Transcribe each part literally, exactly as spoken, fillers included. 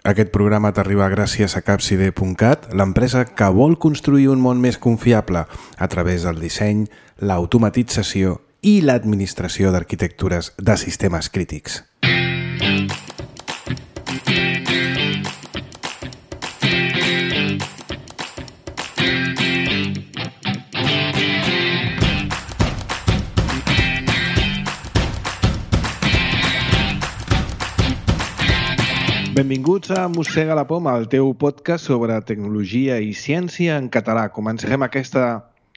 Aquest programa t'arriba gràcies a capside punt cat, l'empresa que vol construir un món més confiable a través del disseny, l'automatització i l'administració d'arquitectures de sistemes crítics. Benvinguts a Mossega la Poma, el teu podcast sobre tecnologia i ciència en català. Comencem aquesta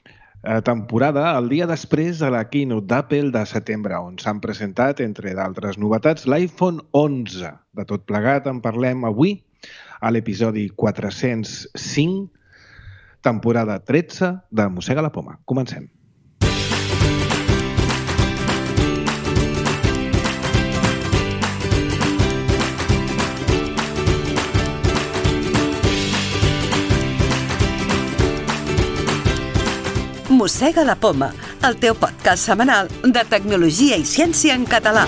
eh, temporada el dia després de la keynote d'Apple de setembre, on s'han presentat, entre d'altres novetats, l'iPhone onze. De tot plegat en parlem avui a l'episodi quatre-cents cinc, temporada tretze de Mossega la Poma. Comencem. Mossega la Poma, el teu podcast setmanal de tecnologia i ciència en català.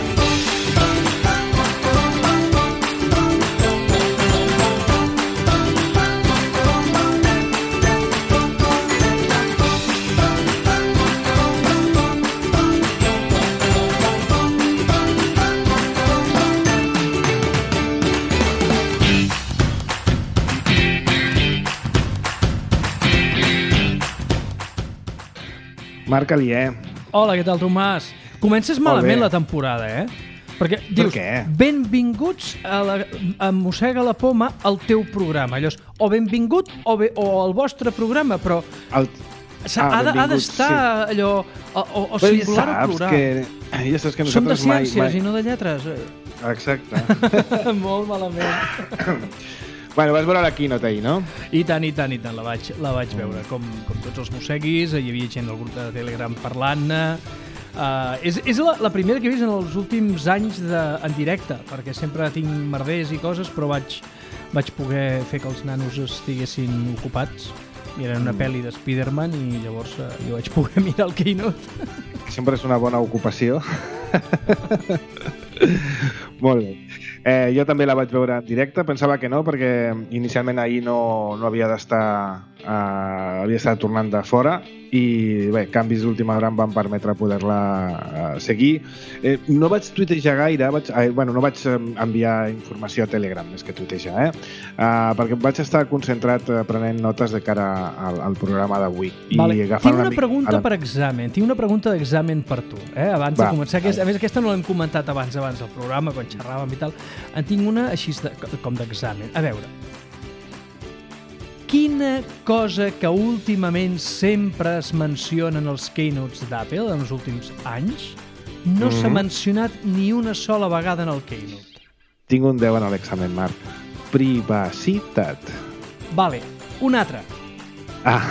Marc Alier. Hola, què tal, Tomàs? Comences malament la temporada, eh? Perquè dius, per què? Benvinguts a, la, a Mossega la Poma al teu programa. Allò és, o benvingut o, be, o el vostre programa, però El... ah, ha d'estar sí. allò o, o, o singular ja o plural. Que, ja saps que Som de nosaltres mai... ciències mai... i no de lletres. Exacte. Molt malament. Bueno, vas veure la keynote ahir, no? I tant, i tant, i tant, la vaig, la vaig veure. Com, com tots els mosseguis, hi havia gent del grup de Telegram parlant-ne. Uh, és és la, la primera que he vist en els últims anys de, en directe, perquè sempre tinc merders i coses, però vaig, vaig poder fer que els nanos estiguessin ocupats. Miren una mm. pel·li de Spider-Man i llavors uh, jo vaig poder mirar el keynote. Sempre és una bona ocupació. Molt bé. Eh, jo també la vaig veure en directe, pensava que no, perquè inicialment ahir no, no havia d'estar, eh, havia estat tornant de fora i bé, canvis d'última hora em van permetre poder-la eh, seguir. Eh, no vaig tuitejar gaire, vaig, eh, bueno, no vaig enviar informació a Telegram més que tuitejar, eh? Eh, perquè vaig estar concentrat eh, prenent notes de cara al, al programa d'avui. Vale. Tinc una, una pregunta la... per examen, tinc una pregunta d'examen per tu, eh? Abans Va, de començar. Aquest, a més, aquesta no l'hem comentat abans abans del programa, quan xerràvem i tal. En tinc una així de, com d'examen. A veure, quina cosa que últimament sempre es menciona en els keynotes d'Apple en els últims anys no mm-hmm. s'ha mencionat ni una sola vegada en el keynote? Tinc un deu en l'examen, Marc. Privacitat. Vale, un altre. Ah.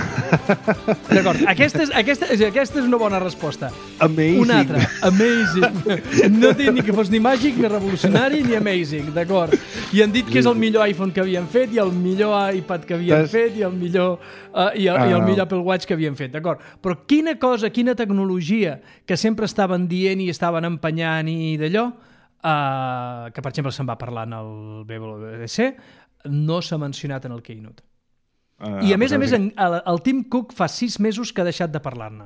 D'acord, aquesta és, aquesta, aquesta és una bona resposta. Amazing. Un altre, amazing. No té ni que fos ni màgic, ni revolucionari, ni amazing, d'acord. I han dit que és el millor iPhone que havien fet, i el millor iPad que havien Tens... fet, i el millor uh, i, el, ah. i el millor Apple Watch que havien fet, d'acord. Però quina cosa, quina tecnologia que sempre estaven dient i estaven empenyant i d'allò, uh, que per exemple se'n va parlar en el W W D C, no s'ha mencionat en el keynote. Uh, I a més a més, en, el, el Tim Cook fa sis mesos que ha deixat de parlar-ne.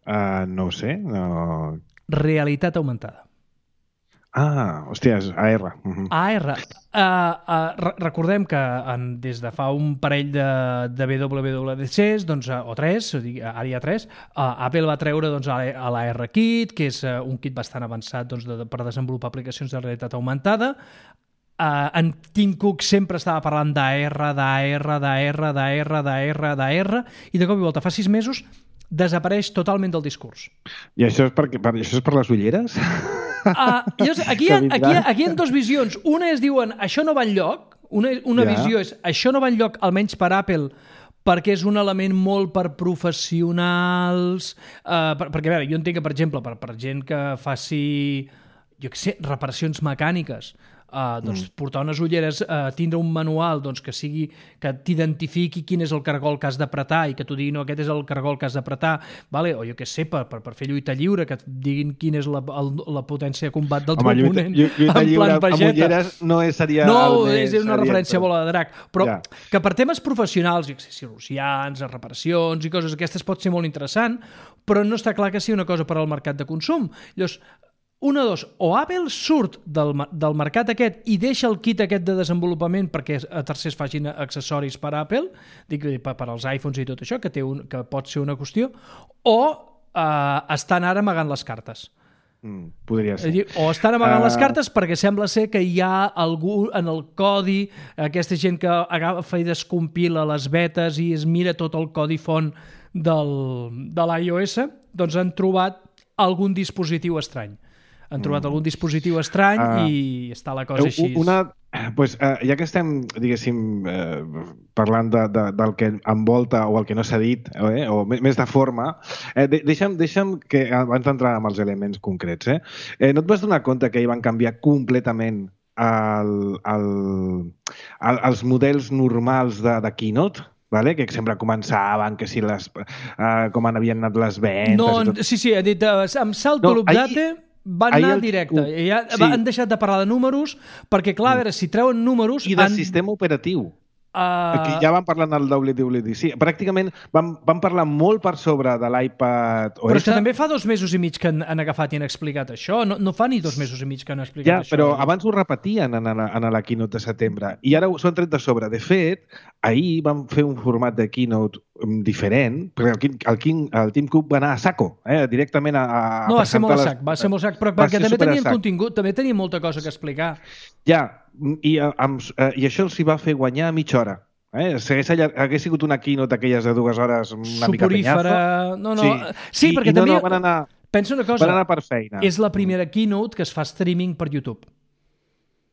Uh, no ho sé. No... Realitat augmentada. Ah, hòstia, és A R. Uh-huh. A R. Uh, uh, re recordem que en, des de fa un parell de, de W W D Cs, doncs, uh, o tres, ara hi ha tres, uh, Apple va treure doncs, a l'A R Kit, que és uh, un kit bastant avançat doncs, de, per desenvolupar aplicacions de realitat augmentada. Uh, en Tim Cook sempre estava parlant d'A R, d'A R, d'A R, d'A R, d'A R, d'A R, i de cop i volta fa sis mesos desapareix totalment del discurs. I això és per, per, això és per les ulleres? Uh, llavors, aquí, hi ha, aquí, hi ha, aquí hi ha dues visions. Una és, diuen, això no va enlloc. Una, una ja. visió és, això no va enlloc, almenys per Apple, perquè és un element molt per professionals. Uh, per, perquè, a veure, jo entenc que, per exemple, per, per gent que faci, jo què sé, reparacions mecàniques, uh, doncs, mm. portar unes ulleres, uh, tindre un manual doncs, que sigui que t'identifiqui quin és el cargol que has d'apretar i que t'ho digui, no, aquest és el cargol que has d'apretar, vale? O jo què sé, per, per, per fer lluita lliure, que et diguin quina és la, el, la potència de combat del teu oponent lluita en plan pageta. Amb ulleres no seria... No, el és una referència a bola de drac, però ja. que per temes professionals, cirurgians, reparacions i coses aquestes pot ser molt interessant, però no està clar que sigui una cosa per al mercat de consum. Llavors, una, dos, o Apple surt del, del mercat aquest i deixa el kit aquest de desenvolupament perquè a tercers facin accessoris per a Apple, dic, per, per als iPhones i tot això, que, té un, que pot ser una qüestió, o eh, estan ara amagant les cartes. Mm, podria ser. Dir, o estan amagant uh... les cartes perquè sembla ser que hi ha algú en el codi, aquesta gent que agafa i descompila les betes i es mira tot el codi font del, de l'iOS, doncs han trobat algun dispositiu estrany. Han trobat mm. algun dispositiu estrany uh, i està la cosa així. Una, pues, uh, ja que estem, diguéssim, uh, parlant de, de, del que envolta o el que no s'ha dit, eh, o més de forma, eh, deixa'm, deixa'm que, abans d'entrar amb els elements concrets, eh, eh, no et vas donar compte que hi van canviar completament el, el, el, els models normals de, de Keynote? Vale? Que sempre començaven, que si les, uh, com havien anat les ventes... No, tot... sí, sí, he dit, uh, amb salto no, l'update van anar el... directe. Uh, ja, sí. Han deixat de parlar de números, perquè, clar, a veure, si treuen números... I de han... sistema operatiu. Uh... Aquí ja van parlar del W W D C. Pràcticament van, van parlar molt per sobre de l'iPad O S. Però és que també fa dos mesos i mig que han, han agafat i han explicat això. No, no fa ni dos mesos i mig que han explicat ja, això. Ja, però abans ho repetien en la, en la keynote de setembre. I ara s'ho han tret de sobre. De fet, ahir van fer un format de keynote diferent, perquè el, el, el Tim Cook va anar a saco, eh? directament a, a no, va ser molt a les... sac, va ser molt a sac, però perquè també tenien contingut, també tenia molta cosa que explicar. Ja, i, amb, i això els hi va fer guanyar mitja hora. Eh? Si hagués, hagués sigut una keynote d'aquelles de dues hores una mica penyazo. No, no. Sí, sí I, perquè i també... No, no, van anar, pensa una cosa, van anar per feina. És la primera keynote que es fa streaming per YouTube.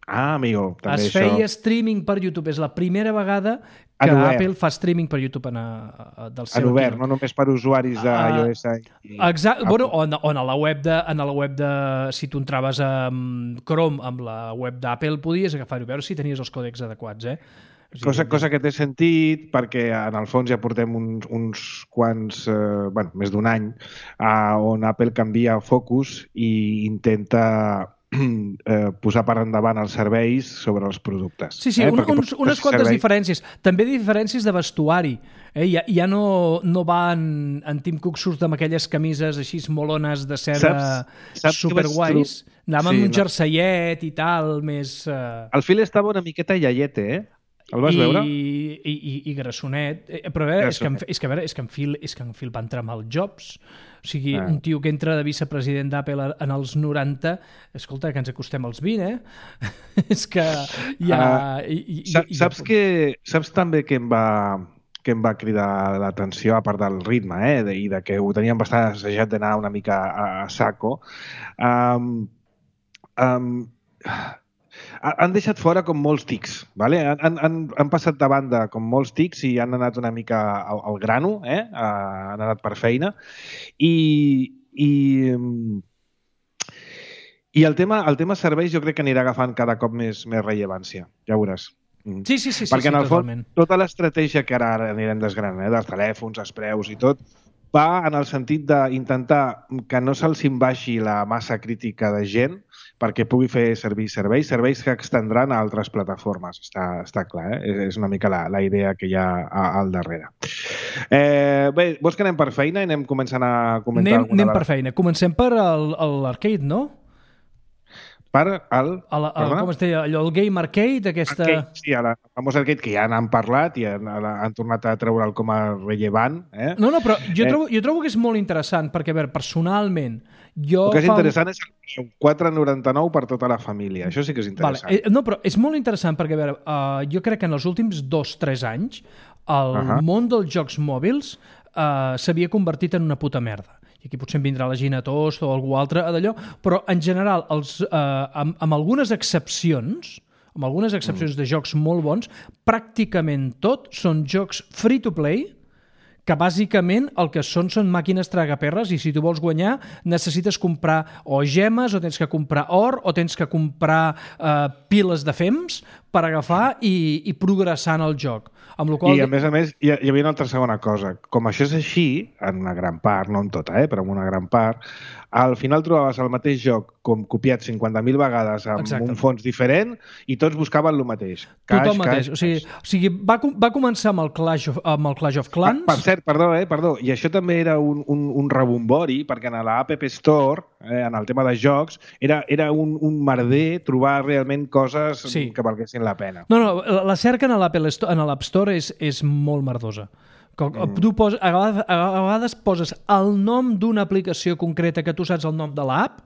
Ah, amigo, també es això... feia streaming per YouTube. És la primera vegada que Apple fa streaming per YouTube en a, a, del seu en obert, keynote. no només per usuaris d'iOS. Uh, Exacte. Bueno, o, en, o en la web de, en la web de... Si tu entraves a Chrome amb la web d'Apple, podies agafar-ho, veure si tenies els còdecs adequats, eh? O sigui, cosa, cosa que té sentit perquè en el fons ja portem uns, uns quants, eh, bueno, més d'un any eh, on Apple canvia focus i intenta eh, posar per endavant els serveis sobre els productes. Sí, sí, eh? un, uns, unes quantes servei... diferències. També diferències de vestuari. Eh? Ja, ja no, no va en, en Tim Cook surt amb aquelles camises així molones de seda superguais. Anava sí, amb un no. jerseiet i tal, més... Uh... El Phil estava una miqueta iaiete, eh? El vas I, veure? I, i, i grassonet. Però a veure, és que, en, és, que, a veure és, que en Phil, és que en Phil va entrar amb el Jobs. O sigui, ah. un tio que entra de vicepresident d'Apple en els noranta, escolta, que ens acostem als vint, eh? és que hi ha... Uh, i, i, saps, i, saps, que, saps també que em va que em va cridar l'atenció, a part del ritme, eh? De, i de que ho teníem bastant assajat d'anar una mica a, a saco. Um, um, han deixat fora com molts tics, ¿vale? han, han, han passat de banda com molts tics i han anat una mica al, al grano, eh? Han anat per feina i, i, i el, tema, el tema serveis jo crec que anirà agafant cada cop més, més rellevància, ja veuràs. Sí, sí, sí, perquè sí, en el totalment. fons tota l'estratègia que ara anirem desgranant, eh? dels telèfons, els preus i tot, va en el sentit d'intentar que no se'ls baixi la massa crítica de gent perquè pugui fer servir serveis, serveis que extendran a altres plataformes. Està, està clar, eh? És una mica la, la idea que hi ha al darrere. Eh, bé, vols que anem per feina i anem començant a comentar anem, alguna anem per feina. Comencem per l'arcade, no? Per al... El, el, com es deia? Allò, el Game Arcade, aquesta... Arcade, sí, el famós arcade que ja n'han parlat i han, han tornat a treure'l com a rellevant. Eh? No, no, però jo, eh. trobo, jo trobo que és molt interessant, perquè, a veure, personalment... Jo el que és fa... interessant és el quatre coma noranta-nou per tota la família. Això sí que és interessant. Vale. Eh, no, però és molt interessant perquè, a veure, uh, jo crec que en els últims dos o tres anys el uh -huh. món dels jocs mòbils uh, s'havia convertit en una puta merda. I aquí potser em vindrà la Gina Tost o algú altre d'allò, però en general, els, uh, amb, amb algunes excepcions, amb algunes excepcions mm. de jocs molt bons, pràcticament tot són jocs free-to-play que bàsicament el que són són màquines tragaperres i si tu vols guanyar necessites comprar o gemes o tens que comprar or o tens que comprar eh, piles de fems per agafar i, i progressar en el joc. Amb la qual... I a més a més hi, hi havia una altra segona cosa. Com això és així, en una gran part, no en tota, eh, però en una gran part, al final trobaves el mateix joc com copiat cinquanta mil vegades amb Exacte. Un fons diferent i tots buscaven el mateix. Caix, Tothom mateix. Caix, o sigui, o sigui va, va començar amb el Clash of, amb el Clash of Clans. Per, per cert, perdó, eh, perdó, i això també era un, un, un rebombori, perquè en l'App Store, eh, en el tema de jocs, era, era un, un merder trobar realment coses sí. que valguessin la pena. No, no, la cerca en l'App Store és, és molt merdosa. Mm. Tu poses, a, vegades, a vegades poses el nom d'una aplicació concreta que tu saps el nom de l'app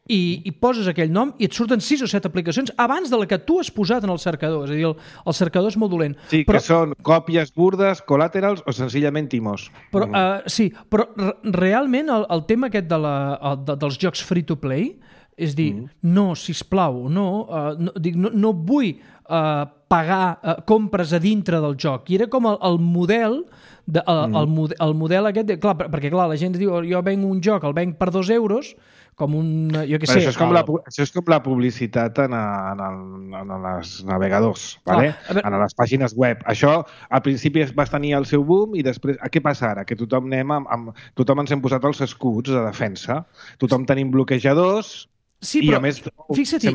i, i poses aquell nom i et surten sis o set aplicacions abans de la que tu has posat en el cercador. És a dir, el, el cercador és molt dolent. Sí, però, que són còpies burdes, collaterals o senzillament timors. Però, mm. uh, sí, però realment el, el tema aquest de la, el, de, dels jocs free-to-play és dir, mm. no, sisplau, no, uh, no, dic, no, no vull uh, pagar uh, compres a dintre del joc. I era com el, el model de, el, mm. el, model, el model aquest, de, clar, perquè clar, la gent diu, jo venc un joc, el venc per dos euros, com un, jo què sé... Això és com, el... la, això és com la publicitat en, a, en, el, en els navegadors, vale? ah, veure... en les pàgines web. Això al principi va tenir el seu boom i després, a què passa ara? Que tothom anem amb, amb, tothom ens hem posat els escuts de defensa, tothom tenim bloquejadors... Sí, I però, a més, fixa-t'hi,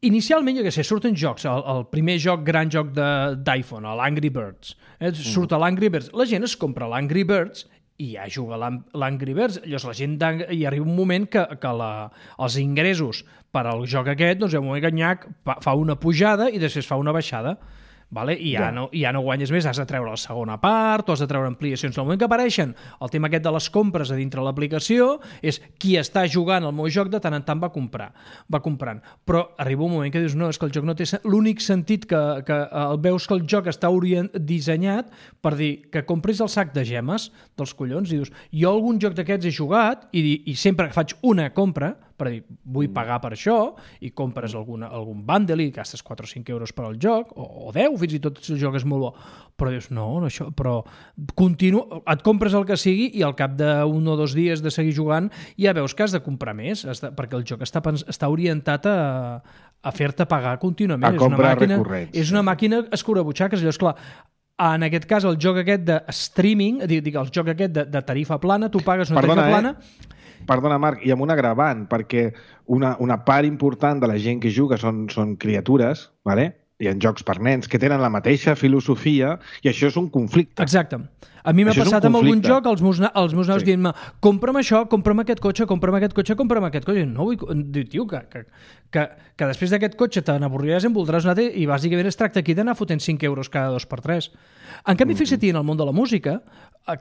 inicialment, jo què sé, surten jocs, el, el primer joc, gran joc d'iPhone, l'Angry Birds, eh? surt mm. l'Angry Birds, la gent es compra l'Angry Birds i ja juga l'Angry Birds, llavors la gent hi arriba un moment que, que la, els ingressos per al joc aquest, doncs el moment ganyac fa una pujada i després fa una baixada. Vale? I ja, ja. No, ja no guanyes més, has de treure la segona part o has de treure ampliacions. En el moment que apareixen el tema aquest de les compres a dintre l'aplicació és qui està jugant el meu joc de tant en tant va comprar, va comprant. Però arriba un moment que dius, no, és que el joc no té... L'únic sentit que, que el veus que el joc està orient, dissenyat per dir que compris el sac de gemes dels collons i dius, jo algun joc d'aquests he jugat i, i sempre que faig una compra per dir, vull pagar per això i compres alguna, algun bundle i gastes quatre o cinc euros per al joc o, o deu, fins i tot si el joc és molt bo, però dius, no, no això, però continu... et compres el que sigui i al cap d'un o dos dies de seguir jugant ja veus que has de comprar més, de... perquè el joc està, està orientat a, a fer-te pagar contínuament. A comprar és una màquina, recurrents. És una màquina escurabutxaques, llavors, clar, en aquest cas el joc aquest de streaming, dic, el joc aquest de, de tarifa plana, tu pagues una Perdona, tarifa plana... Eh? Perdona, Marc, i amb un agravant, perquè una, una part important de la gent que juga són, són criatures, ¿vale? Hi ha jocs per nens que tenen la mateixa filosofia i això és un conflicte. Exacte. A mi m'ha passat amb algun joc els meus, els meus naus sí. dient-me compra'm això, compra'm aquest cotxe, compra'm aquest cotxe, compra'm aquest cotxe. No vull... Diu, tio, que, que, que, que després d'aquest cotxe te n'avorriràs i en voldràs un altre i bàsicament es tracta aquí d'anar fotent cinc euros cada dos per tres. En canvi, mm-hmm. fixa't, en el món de la música,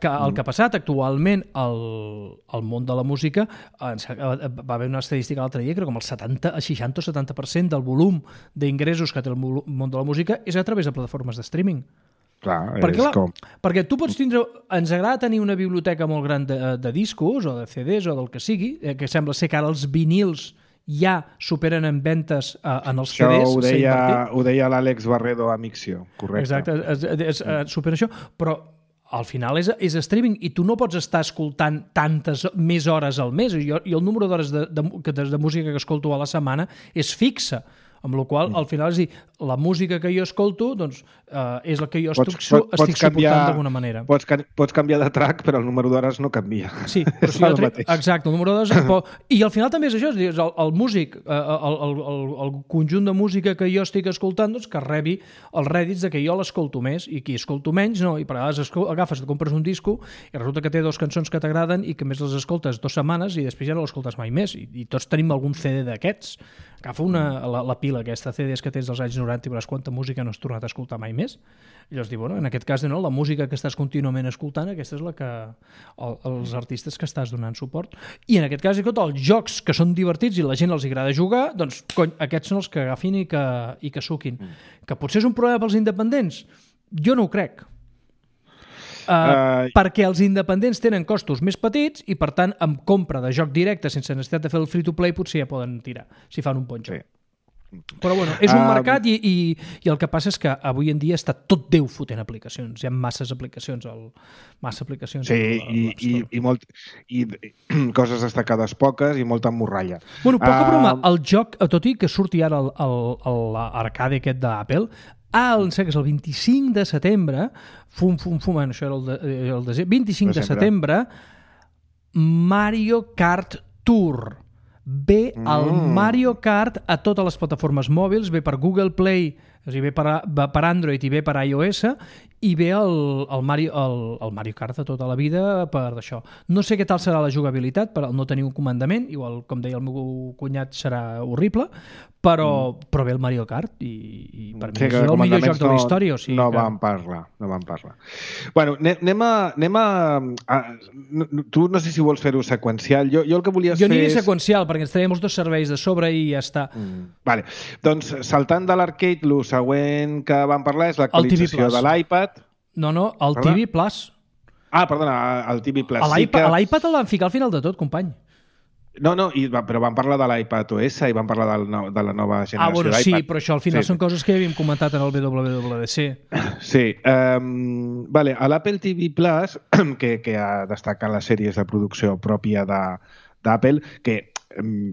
que el que ha passat actualment al, al món de la música, va haver una estadística l'altre dia que com el setanta, seixanta o setanta per cent del volum d'ingressos que té el món de la música és a través de plataformes de streaming. Clar, perquè, és clar, com... perquè tu pots tindre... Ens agrada tenir una biblioteca molt gran de, de discos o de C Ds o del que sigui, eh, que sembla ser que ara els vinils ja superen en ventes eh, en els això C Ds. Això ho deia, ho deia l'Àlex Barredo a Mixio, correcte. Exacte, és, és, és, és, supera això, però al final és, és streaming i tu no pots estar escoltant tantes més hores al mes. Jo, jo el número d'hores de, de, de, de música que escolto a la setmana és fixa, amb la qual al final és dir, la música que jo escolto doncs, eh, és la que jo pots, estic, pots, estic canviar, suportant d'alguna manera. Pots, pots canviar de track, però el número d'hores no canvia. Sí, però si jo tre... exacte, el número d'hores... Però... I al final també és això, és dir, el, el músic, el, el, el, el conjunt de música que jo estic escoltant, doncs, que rebi els rèdits de que jo l'escolto més i qui escolto menys, no, i per vegades agafes, et compres un disco i resulta que té dues cançons que t'agraden i que més les escoltes dues setmanes i després ja no l'escoltes mai més. I, i tots tenim algun C D d'aquests. Agafa una, la, la pila aquesta C Ds que tens dels anys noranta i veuràs quanta música no has tornat a escoltar mai més. I llavors diu, bueno, en aquest cas, no, la música que estàs contínuament escoltant, aquesta és la que el, els artistes que estàs donant suport. I en aquest cas, els jocs que són divertits i la gent els agrada jugar, doncs, cony, aquests són els que agafin i que, i que suquin. Mm. Que potser és un problema pels independents? Jo no ho crec. Uh, uh, perquè els independents tenen costos més petits i, per tant, amb compra de joc directe sense necessitat de fer el free-to-play potser ja poden tirar, si fan un bon joc. Sí. Però bueno, és un mercat i, i, i el que passa és que avui en dia està tot Déu fotent aplicacions. Hi ha masses aplicacions al, massa aplicacions sí, al, al i, i, i, molt, i coses destacades poques i molta morralla. Bueno, poca uh, broma, el joc, tot i que surti ara l'arcade aquest d'Apple, el, sé que és el vint-i-cinc de setembre, fum, fum, fum, això era el, de, el de, vint-i-cinc de setembre, Mario Kart Tour. Ve el mm. Mario Kart a totes les plataformes mòbils, ve per Google Play, o sigui, ve per, per Android i ve per iOS, i ve el, el, Mario, el, el Mario Kart de tota la vida per això. No sé què tal serà la jugabilitat, per no tenir un comandament, igual, com deia el meu cunyat, serà horrible, però, mm. però ve el Mario Kart i, i per mi sí, és el millor joc de la història. O sigui no que... vam parlar, no vam parlar. Bueno, anem a... Anem a, a tu no sé si vols fer-ho seqüencial. Jo, jo el que volies jo fer aniré és... seqüencial, perquè ens traiem els dos serveis de sobre i ja està. Mm. Vale. Doncs, saltant de l'arcade, el següent que vam parlar és l'actualització de l'iPad. No, no, el T V Plus. Ah, perdona, el T V Plus. A l'iPad sí que... el van ficar al final de tot, company. No, no, i, però vam parlar de l'iPad O S i vam parlar del no, de la nova generació ah, bueno, d'iPad. Sí, però això al final sí, són sí. coses que ja havíem comentat en el W W D C. Sí. Um, vale, a l'Apple T V Plus, que, que ha destacat les sèries de producció pròpia d'Apple, que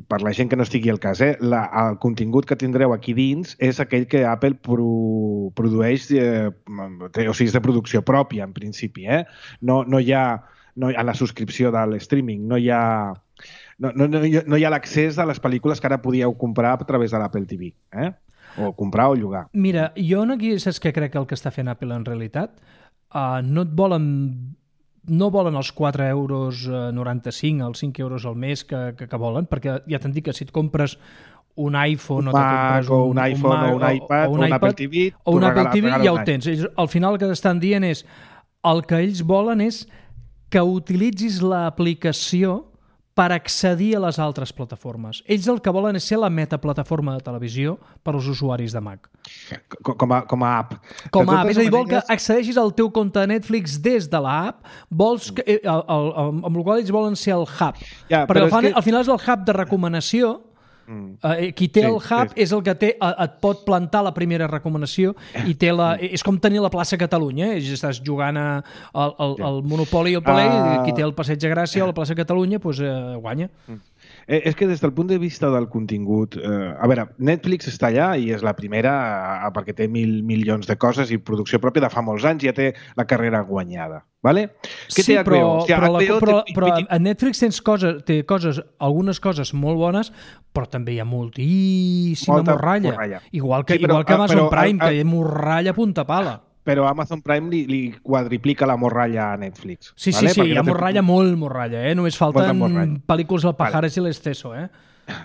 per la gent que no estigui al cas, eh, la, el contingut que tindreu aquí dins és aquell que Apple pro, produeix, eh, o sigui, és de producció pròpia, en principi. Eh? No, no hi ha, no, a la subscripció de l'streaming, no hi ha... No, no, no, no hi ha l'accés a les pel·lícules que ara podíeu comprar a través de l'Apple T V, eh? O comprar o llogar. Mira, jo aquí saps què crec que el que està fent Apple en realitat? Uh, no et volen no volen els quatre euros noranta-cinc, els cinc euros al mes que, que, que volen, perquè ja t'han dit que si et compres un iPhone un o te compres un, un iPhone un Mac, o un iPad o un, o un Apple T V o un Apple T V ja ho tens. Ells, al final el que estan dient és el que ells volen és que utilitzis l'aplicació per accedir a les altres plataformes. Ells el que volen és ser la metaplataforma de televisió per als usuaris de Mac. Com a, com a app. Com a app. És a dir, vol que accedeixis al teu compte de Netflix des de l'app, vols que, el, el, el, amb el qual ells volen ser el hub. Ja, perquè al, fan, que... al final és el hub de recomanació. Mm. Uh, qui té sí, el hub sí. és el que té, uh, et pot plantar la primera recomanació i té la, mm. és com tenir la plaça Catalunya, eh? Estàs jugant a, al, al, al Monopoli o el Palais, uh... qui té el Passeig de Gràcia o la plaça Catalunya pues, uh, guanya. Mm. Eh, és que des del punt de vista del contingut, eh, a veure, Netflix està allà i és la primera eh, perquè té mil milions de coses i producció pròpia de fa molts anys, ja té la carrera guanyada. Vale? Sí, té però, o sigui, però, la, però, té... però a Netflix tens coses, té coses, algunes coses molt bones, però també hi ha moltíssima Molta morralla. morralla. Igual que, sí, però, igual que Amazon però, Prime, a, a... que hi ha morralla a punta pala. Però Amazon Prime li, li quadriplica la morralla a Netflix. Sí, sí, vale? sí, Perquè hi ha no morralla, té... molt morralla, eh? Només falten pel·lícules al Pajares vale. i l'Exceso, eh?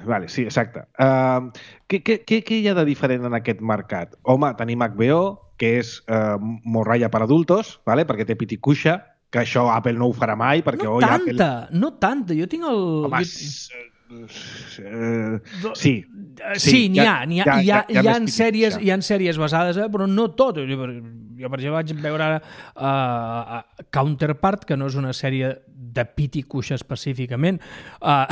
Vale, sí, exacte. Uh, què, què, què hi ha de diferent en aquest mercat? Home, tenim H B O, que és uh, morralla per adultos, vale? Perquè té piticuixa, que això Apple no ho farà mai. Perquè no tanta, Apple... no tanta. Jo tinc el... Home, jo... Uh, sí, sí, sí n'hi ha, n'hi ha, hi ha, hi ha, hi ha, sèries, hi ha sèries basades, eh, però no tot. Jo, jo per exemple, vaig veure uh, Counterpart, que no és una sèrie de pit i cuixa específicament. Uh,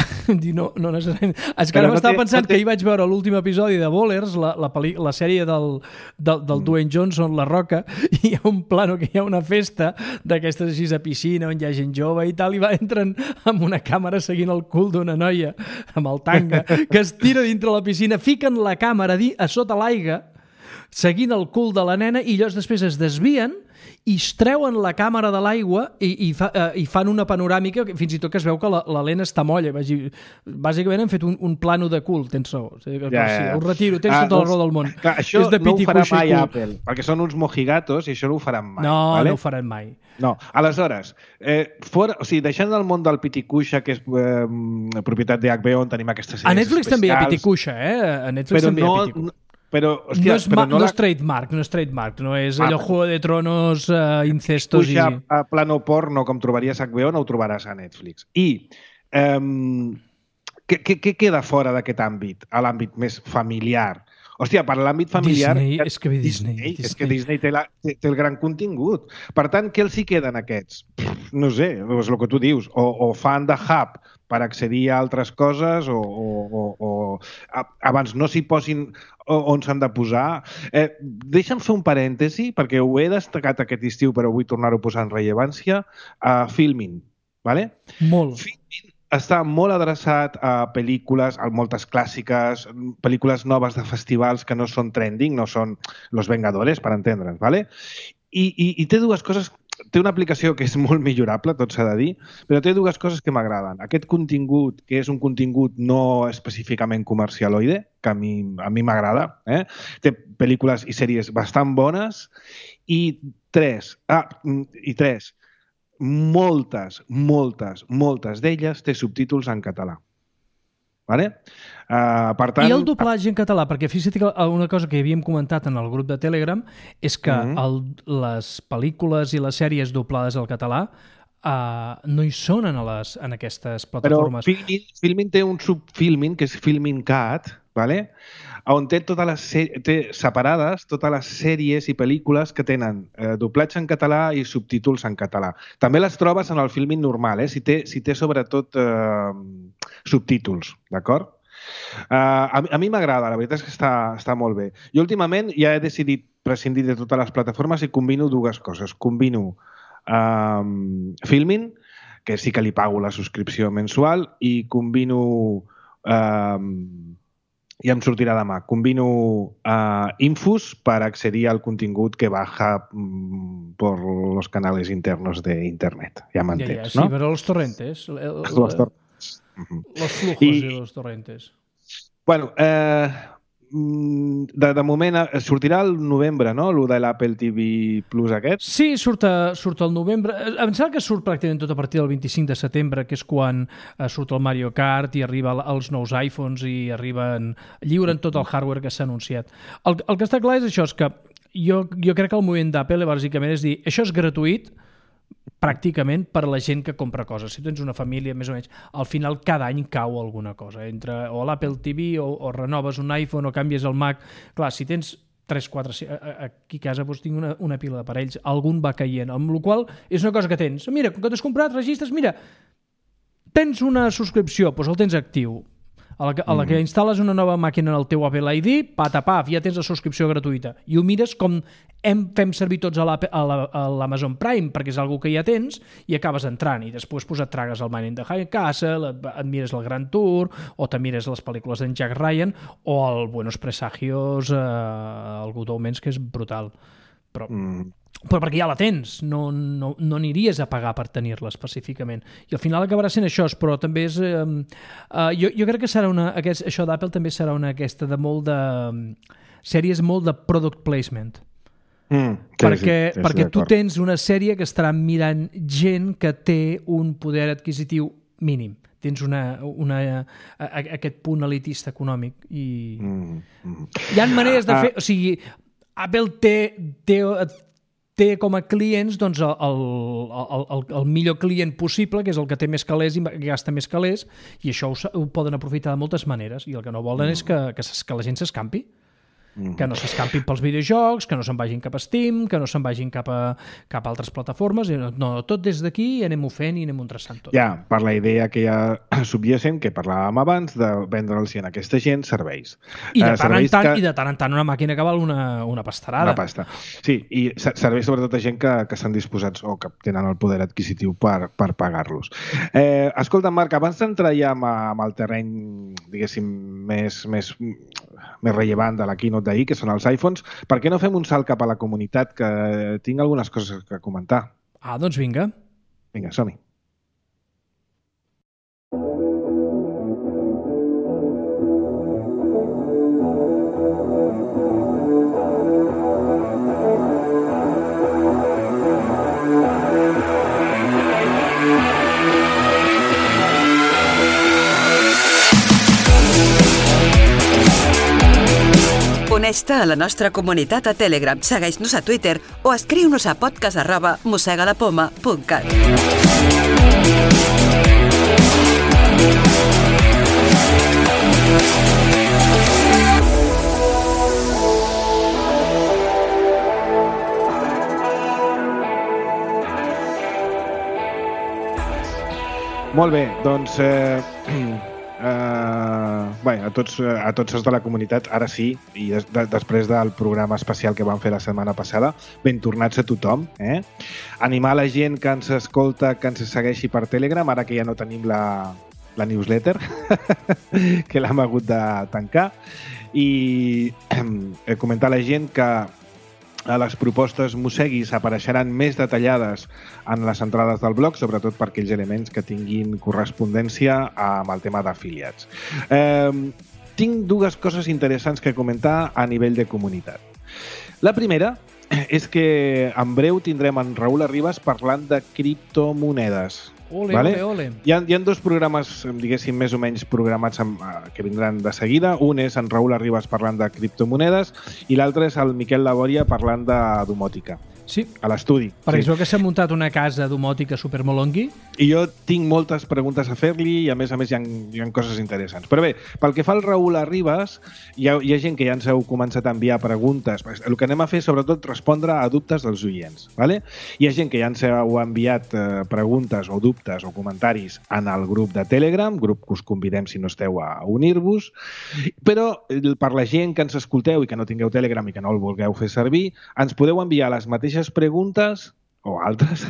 no, no necessàriament. És que ara m'estava no pensant no té... que hi vaig veure l'últim episodi de Bowlers, la, la, peli, la sèrie del, del, del mm. Dwayne Johnson, La Roca, i hi ha un plano que hi ha una festa d'aquestes així a piscina on hi ha gent jove i tal, i va entren amb una càmera seguint el cul d'una noia amb el tanga, que es tira dintre la piscina, fiquen la càmera a sota l'aigua, seguint el cul de la nena, i llavors després es desvien i es treuen la càmera de l'aigua i, i, fa, uh, i fan una panoràmica, fins i tot que es veu que la, la lent està molla. Bàsicament han fet un, un plano de cul, tens raó. O sigui, ja, ja. Ho retiro, tens ah, tota la raó del món. Clar, això és de no ho farà mai Apple, perquè són uns mojigatos i això no ho faran mai. No, vale? no ho faran mai. No, aleshores, eh, fora, o sigui, deixant el món del piticuixa, que és eh, propietat de H B O, on tenim aquestes sèries a Netflix especials, també hi ha piticuixa, eh? A Netflix però també no, hi ha piticuixa. Però, hòstia, no, és, però no, no la... és trademark, no és trademark, no és allò ah, Juego de Tronos, uh, incestos i... a plano porno, com trobaries a H B O, no ho trobaràs a Netflix. I um, què, què, què queda fora d'aquest àmbit, a l'àmbit més familiar? Hòstia, per l'àmbit familiar... Disney, és que ve Disney. Disney, Disney. És que Disney té, la, té, té el gran contingut. Per tant, què els hi queden aquests? No sé, és el que tu dius. O, o fan de hub per accedir a altres coses o, o, o, o abans no s'hi posin on s'han de posar. Eh, deixa'm fer un parèntesi, perquè ho he destacat aquest estiu, però vull tornar-ho a posar en rellevància. Uh, Filmin, ¿vale? Molt. Filmin està molt adreçat a pel·lícules, a moltes clàssiques, pel·lícules noves de festivals que no són trending, no són Los Vengadores, per entendre'ns, ¿vale? I, i, i té dues coses. Té una aplicació que és molt millorable, tot s'ha de dir, però té dues coses que m'agraden. Aquest contingut, que és un contingut no específicament comercialoide, que a mi a mi m'agrada, eh? Té pel·lícules i sèries bastant bones, i tres, ah, i tres, moltes, moltes, moltes d'elles té subtítols en català. Vale? Uh, per tant... I el doblatge en català, perquè fixa't que una cosa que havíem comentat en el grup de Telegram és que mm-hmm. el, les pel·lícules i les sèries doblades al català uh, no hi són en, les, en aquestes plataformes. Però Filmin, Filmin té un subfilmin, que és Filmin Cat, vale? On té totes les té separades totes les sèries i pel·lícules que tenen eh, doblatge en català i subtítols en català. També les trobes en el Filmin normal, eh? si, té, si té sobretot eh, subtítols, d'acord? Uh, a, a mi m'agrada, la veritat és que està, està molt bé. Jo últimament ja he decidit prescindir de totes les plataformes i combino dues coses. Combino um, Filmin, que sí que li pago la subscripció mensual, i combino... Um, ja em sortirà demà. Combino uh, Infus per accedir al contingut que baja mm, por los canales internos de internet. Ja m'entens, ja, ja, sí, no? Sí, però els torrentes. El, el, los torrents. Los flujos I, i los torrentes. Bueno, eh, de, de moment sortirà el novembre, no? Lo de l'Apple T V Plus aquest? Sí, surt, a, surt el novembre. Em sembla que surt pràcticament tot a partir del vint-i-cinc de setembre, que és quan uh, surt el Mario Kart i arriba els nous iPhones i arriben, lliuren tot el hardware que s'ha anunciat. El, el que està clar és això, és que jo, jo crec que el moviment d'Apple bàsicament és dir, això és gratuït pràcticament per a la gent que compra coses. Si tens una família, més o menys, al final cada any cau alguna cosa. Entre o l'Apple T V o, o renoves un iPhone o canvies el Mac. Clar, si tens tres, quatre... Aquí a casa doncs, tinc una, una pila d'aparells, algun va caient, amb la qual és una cosa que tens. Mira, com que t'has comprat, registres, mira, tens una subscripció, doncs el tens actiu. A la, que, a la que instal·les una nova màquina en el teu Apple I D, patapaf, ja tens la subscripció gratuïta. I ho mires com hem, fem servir tots a l'Amazon Prime, perquè és algo que ja tens, i acabes entrant. I després pues, et tragues el Man in the High Castle, et, et mires el Grand Tour, o te mires les pel·lícules d'en Jack Ryan, o el Buenos Presagios, eh, el Good Omens, que és brutal. Però... Mm. Però perquè ja la tens, no, no, no aniries a pagar per tenir-la específicament. I al final acabarà sent això, però també és... Eh, uh, jo, jo crec que serà una... Aquest, això d'Apple també serà una aquesta de molt de... sèries molt de product placement. Mm, sí, perquè sí, sí, perquè tu tens una sèrie que estarà mirant gent que té un poder adquisitiu mínim. Tens una, una, a, a, aquest punt elitista econòmic. I mm, mm. Hi ha maneres de fer... Uh, o sigui, Apple té... té té com a clients doncs, el, el, el, el millor client possible, que és el que té més calés i gasta més calés, i això ho, ho poden aprofitar de moltes maneres, i el que no volen mm. és que, que, que la gent s'escampi. Mm. Que no s'escampin pels videojocs, que no se'n vagin cap a Steam, que no se'n vagin cap a, cap a altres plataformes. No, tot des d'aquí anem-ho fent i anem-ho traçant tot. Ja, per la idea que ja subjacent, que parlàvem abans, de vendre'ls a aquesta gent serveis. I de, tant en tant, que... I de tant en tant una màquina que val una, una pastarada. Una pasta. Sí, i serveis sobretot a gent que, que estan disposats o que tenen el poder adquisitiu per, per pagar-los. Eh, escolta, Marc, abans d'entrar ja amb, amb el terreny, diguéssim, més, més, més rellevant de la keynote d'ahir, que són els iPhones, per què no fem un salt cap a la comunitat, que tinc algunes coses a comentar? Ah, doncs vinga. Vinga, som-hi. Uneix-te a la nostra comunitat a Telegram, segueix-nos a Twitter o escriu-nos a podcast arroba mossegalapoma punt cat. Molt bé, doncs eh, eh, bé, a tots, a tots els de la comunitat, ara sí, i des, de, després del programa especial que vam fer la setmana passada, ben tornats a tothom, eh? Animar la gent que ens escolta, que ens segueixi per Telegram, ara que ja no tenim la, la newsletter, que l'hem hagut de tancar, i eh, comentar a la gent que a les propostes Mosseguis apareixeran més detallades en les entrades del blog, sobretot per aquells elements que tinguin correspondència amb el tema d'afiliats. Eh, tinc dues coses interessants que comentar a nivell de comunitat. La primera és que en breu tindrem en Raül Arribas parlant de criptomonedes. Ole, vale? ole, ole. Hi ha, hi ha dos programes, diguéssim, més o menys programats amb, que vindran de seguida. Un és en Raül Arribas parlant de criptomonedes i l'altre és el Miquel Laboria parlant de domòtica. Sí. A l'estudi. Perquè sí. es veu que s'ha muntat una casa domòtica supermolongui. I jo tinc moltes preguntes a fer-li i a més a més hi ha, hi ha coses interessants. Però bé, pel que fa al Raül Arribas, hi ha, hi ha gent que ja ens heu començat a enviar preguntes. El que anem a fer sobretot respondre a dubtes dels oients. ¿vale? Hi ha gent que ja ens heu enviat eh, preguntes o dubtes o comentaris en el grup de Telegram, grup que us convidem si no esteu a unir-vos, però per la gent que ens escolteu i que no tingueu Telegram i que no el vulgueu fer servir, ens podeu enviar les mateixes preguntes o altres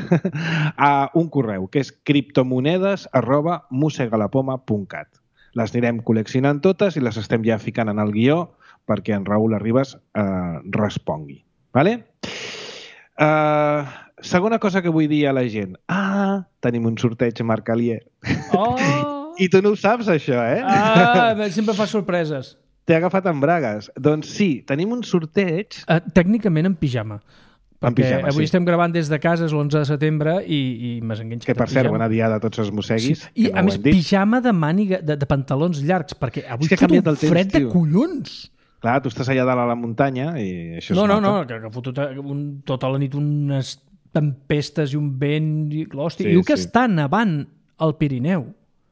a un correu que és criptomonedes arroba mosegalapoma punt cat. Les anirem col·leccionant totes i les estem ja ficant en el guió perquè en Raül Arribas eh, respongui. Vale? Uh, segona cosa que vull dir a la gent. Ah, tenim un sorteig a Marc Alier. Oh! I tu no ho saps, això, eh? Ah, sempre fa sorpreses. T'he agafat en bragues. Doncs sí, tenim un sorteig... Uh, tècnicament en pijama. Perquè pijama, avui sí. estem gravant des de casa, és l'onze de setembre, i, i m'has enganxat Que, per en cert, pijama. bona diada a tots els mosseguis. Sí. I, no a més, pijama de màniga, de, de pantalons llargs, perquè avui és que fot un temps, fred de tio. collons. Clar, tu estàs allà dalt a la muntanya i això No, es no, nota. no, que, que fotut un, tota la nit unes tempestes i un vent, i l'hòstia. Sí, Diu que sí. està nevant al Pirineu.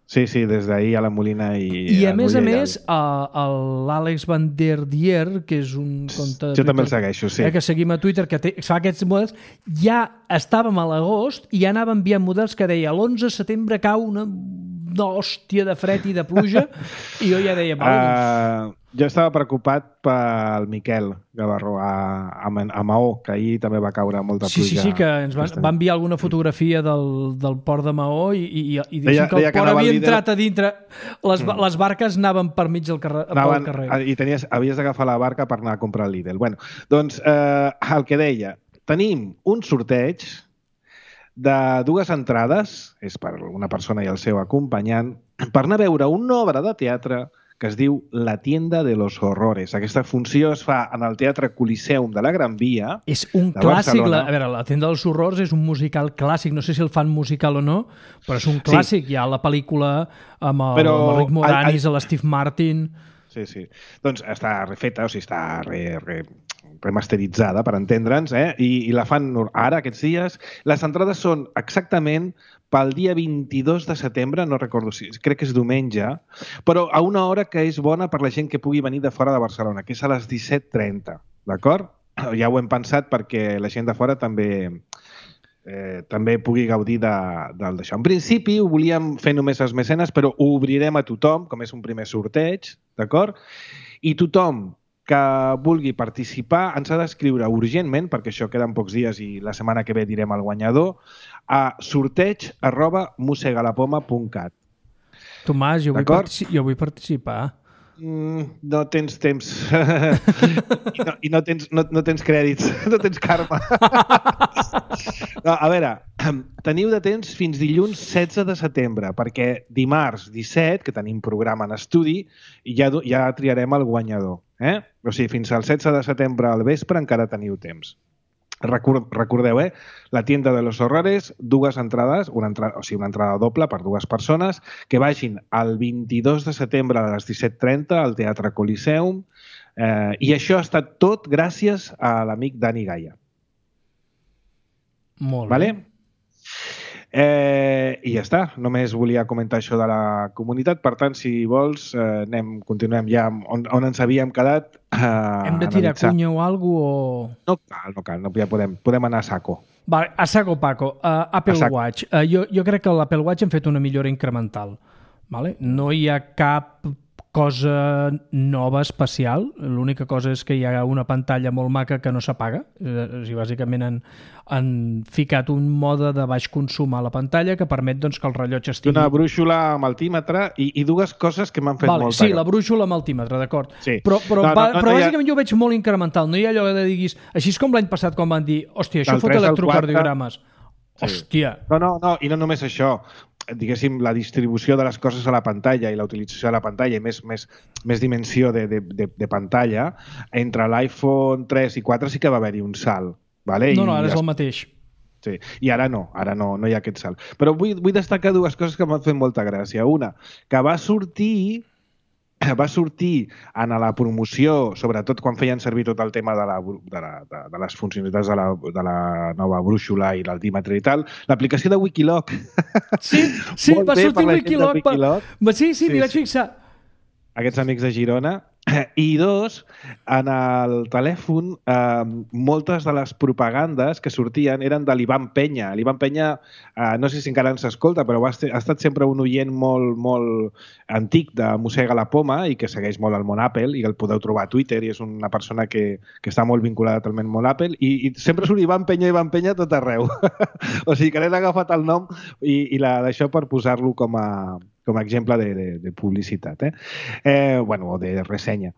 Sí, sí, des d'ahir a la Molina i... I a més a Mollà més, l'Àlex Van der Dier, que és un compte de Jo Twitter, també el segueixo, sí. eh, que seguim a Twitter, que té, fa aquests models, ja estàvem a l'agost i ja anava enviant models que deia l'onze de setembre cau una hòstia de fred i de pluja, i jo ja deia... Uh, jo estava preocupat pel Miquel Gavarró a, a, a Maó, que ahir també va caure molta Sí, pluja. sí, sí, que ens van, va enviar alguna fotografia del, del port de Maó i, i, i deia, que el que port havia líder... entrat a dintre, les, mm. les barques anaven per mig del carrer. Anaven, carrer. I tenies, havies d'agafar la barca per anar a comprar el Lidl. Bueno, doncs eh, el que deia, tenim un sorteig de dues entrades, és per una persona i el seu acompanyant, per anar a veure una obra de teatre que es diu La tienda de los horrores. Aquesta funció es fa en el Teatre Coliseum de la Gran Via. És un clàssic. La, a veure, La tienda dels horrors és un musical clàssic. No sé si el fan musical o no, però és un clàssic. Sí. Hi ha la pel·lícula amb el, però, amb el Rick Moranis, el, el... l'Steve Martin... Sí, sí. Doncs està refeta, o sigui, està re, re, remasteritzada, per entendre'ns, eh? I, i la fan ara, aquests dies. Les entrades són exactament pel dia vint-i-dos de setembre, no recordo si, crec que és diumenge, però a una hora que és bona per la gent que pugui venir de fora de Barcelona, que és a les disset trenta, d'acord? Ja ho hem pensat perquè la gent de fora també... Eh, també pugui gaudir d'això. En principi ho volíem fer només als mecenes, però ho obrirem a tothom, com és un primer sorteig, d'acord? I tothom que vulgui participar ens ha d'escriure urgentment, perquè això queden pocs dies i la setmana que ve direm el guanyador, a sorteig arroba mosegalapoma punt cat. Tomàs, jo vull, partici jo vull participar. Mm, no tens temps i, no, i no, tens, no, no tens crèdits, no tens karma. No, a veure, teniu de temps fins dilluns setze de setembre, perquè dimarts disset, que tenim programa en estudi, ja, ja triarem el guanyador. Eh? O sigui, fins al setze de setembre al vespre encara teniu temps. Recordeu, eh? La tienda de los horrores, dues entrades, una entrada, o sigui, una entrada doble per dues persones, que vagin el vint-i-dos de setembre a les disset trenta al Teatre Coliseum, eh, i això ha estat tot gràcies a l'amic Dani Gaia. Molt bé. Vale? Eh, I ja està, només volia comentar això de la comunitat, per tant, si vols, eh, anem, continuem ja on, on ens havíem quedat. Eh, Hem de tirar analitzar. cunya o alguna cosa? O... No cal, no cal, no, ja podem, podem anar a saco. Va, a saco Paco, uh, Apple a saco. Watch. Uh, jo, jo crec que l'Apple Watch hem fet una millora incremental. Vale? No hi ha cap cosa nova especial. L'única cosa és que hi ha una pantalla molt maca que no s'apaga. O sigui, bàsicament han, han ficat un mode de baix consum a la pantalla que permet doncs, que el rellotge estigui... Una brúixola amb altímetre i, i dues coses que m'han fet vale, molta... Sí, la brúixola amb altímetre, d'acord. Sí. Però, però, no, no, va, no, però no, bàsicament ja... jo ho veig molt incremental. No hi ha allò de diguis... Així és com l'any passat quan van dir hòstia, això fot electrocardiogrames. Sí. Hòstia. No, no, no, i no només això. Diguéssim, la distribució de les coses a la pantalla i la utilització de la pantalla i més, més, més dimensió de, de, de, de pantalla, entre l'iPhone tres i quatre sí que va haver-hi un salt. Vale? No, no, ara I és el mateix. Sí. I ara no, ara no, no hi ha aquest salt. Però vull, vull destacar dues coses que m'han fet molta gràcia. Una, que va sortir va sortir en la promoció, sobretot quan feien servir tot el tema de, la, de, la, de, de les funcionalitats de la, de la nova brúixola i l'altímetre i tal, l'aplicació de Wikiloc. Sí, sí va sortir Wikiloc. Wikiloc. Pa... Sí, sí, sí, m'hi vaig sí. fixar. Aquests amics de Girona. I dos, en el telèfon, eh, moltes de les propagandes que sortien eren de l'Ivan Penya. L'Ivan Penya, eh, no sé si encara ens escolta, però ha estat sempre un oient molt, molt antic de Mossega la Poma i que segueix molt el món Apple i el podeu trobar a Twitter i és una persona que, que està molt vinculada al món Apple i, i sempre surt Ivan Penya, Ivan Penya tot arreu. O sigui que n'he agafat el nom i, i la d'això per posar-lo com a... com a exemple de, de, de publicitat, eh? Eh, bueno, o de ressenya.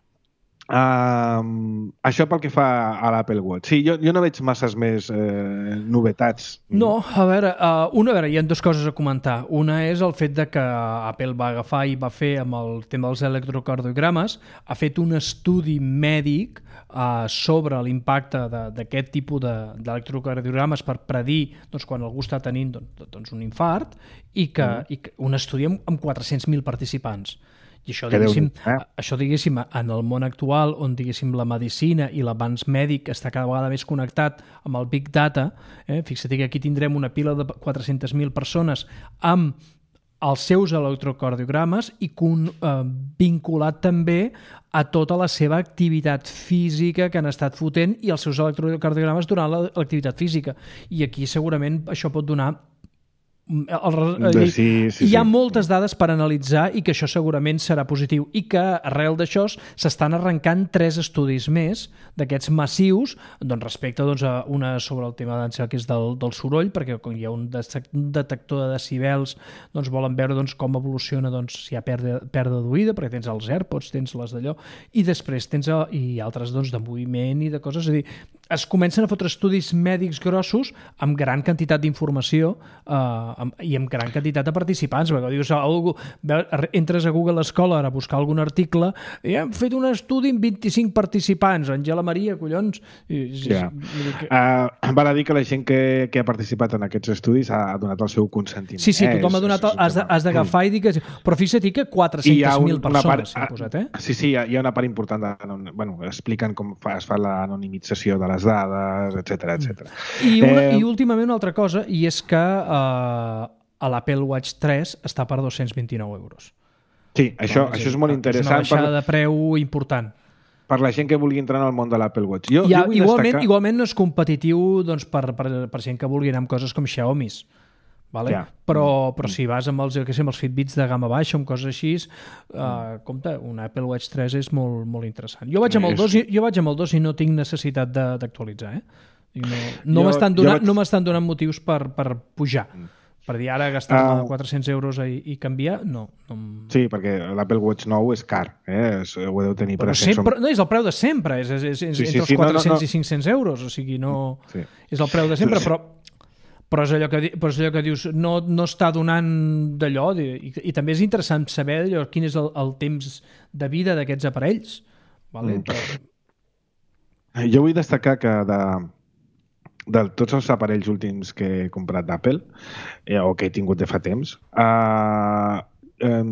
Um, això pel que fa a l'Apple Watch. Sí, jo, jo no veig masses més eh, novetats. No, a veure, uh, una, a veure, hi ha dues coses a comentar. Una és el fet de que Apple va agafar i va fer amb el tema dels electrocardiogrames, ha fet un estudi mèdic uh, sobre l'impacte d'aquest tipus d'electrocardiogrames per predir doncs, quan algú està tenint doncs, doncs, un infart i que, mm. i que un estudi amb, amb quatre-cents mil participants. I això, diguéssim, eh? això, diguéssim, en el món actual, on, diguéssim, la medicina i l'avanç mèdic està cada vegada més connectat amb el Big Data, eh? Fixa't que aquí tindrem una pila de quatre-centes mil persones amb els seus electrocardiogrames i con, eh, vinculat també a tota la seva activitat física que han estat fotent i els seus electrocardiogrames durant l'activitat física. I aquí segurament això pot donar El, el, sí, sí, hi ha sí. moltes dades per analitzar i que això segurament serà positiu i que arrel d'això s'estan arrencant tres estudis més d'aquests massius doncs, respecte doncs, a una sobre el tema que és del, del soroll, perquè quan hi ha un detector de decibels doncs, volen veure doncs, com evoluciona doncs, si hi ha pèrdua, pèrdua d'oïda, perquè tens els AirPods, tens les d'allò, i després tens el, i altres doncs, de moviment i de coses, és a dir, es comencen a fotre estudis mèdics grossos amb gran quantitat d'informació eh, i amb gran quantitat de participants. Perquè dius, algú, entres a Google Scholar a buscar algun article i hem fet un estudi amb vint-i-cinc participants. Angela Maria, collons. Ja. Que... Uh, val a dir que la gent que, que ha participat en aquests estudis ha donat el seu consentiment. Sí, sí, tothom eh? ha donat... El, has, de, has d'agafar i dir que... Però fixa't que quatre-centes mil persones s'han posat, eh? Sí, sí, hi ha una part important de... Bueno, expliquen com fa, es fa l'anonimització de les dades, etcètera, etcètera. I, una, eh... I últimament una altra cosa, i és que eh, a l'Apple Watch tres està per dos-cents vint-i-nou euros. Sí, això, no, això és molt interessant. És una baixada per... de preu important. Per la gent que vulgui entrar en el món de l'Apple Watch. Jo, ha, jo igualment, destacar... igualment no és competitiu doncs, per, per, per gent que vulgui anar amb coses com Xiaomi's. Vale? Ja. Però, però si vas amb els, que sé, amb els Fitbits de gamma baixa o amb coses així, uh, compte, un Apple Watch tres és molt, molt interessant. Jo vaig amb el dos i, jo vaig amb el dos i no tinc necessitat d'actualitzar. Eh? No, no m'estan donant, vaig... no donant motius per, per pujar. Per dir, ara gastar uh, quatre-cents euros i, i canviar, no. no. Sí, perquè l'Apple Watch nou és car, eh? Es, ho heu de tenir però present. Sempre, no, és el preu de sempre, és, és, és, és sí, entre sí, els quatre-cents no, no, no. i cinc-cents euros, o sigui, no... Sí. És el preu de sempre, però... Però és allò que, però és allò que dius, no, no està donant d'allò, i, i també és interessant saber allò, quin és el, el temps de vida d'aquests aparells. Vale? Mm. Però... Jo vull destacar que de, de tots els aparells últims que he comprat d'Apple, eh, o que he tingut de fa temps, eh, eh,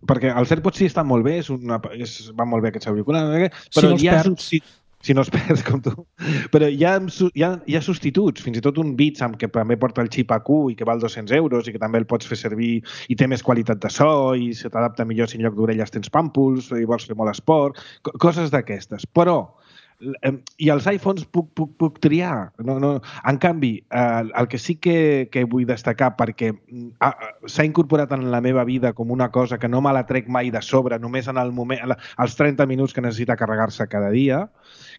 perquè els AirPods sí estan molt bé, és una, és, van molt bé aquests auriculars, però si no hi ha substituts. Si no es perds com tu. Però hi ha, hi, ha, hi ha substituts, fins i tot un Beats amb que també porta el xip A Q i que val dos-cents euros i que també el pots fer servir i té més qualitat de so i se t'adapta millor si en lloc d'orelles tens pàmpols i vols fer molt esport, coses d'aquestes. Però i els iPhones puc, puc, puc triar. No, no. En canvi, eh, el que sí que, que vull destacar, perquè ah, s'ha incorporat en la meva vida com una cosa que no me la trec mai de sobre, només en el moment, els trenta minuts que necessita carregar-se cada dia,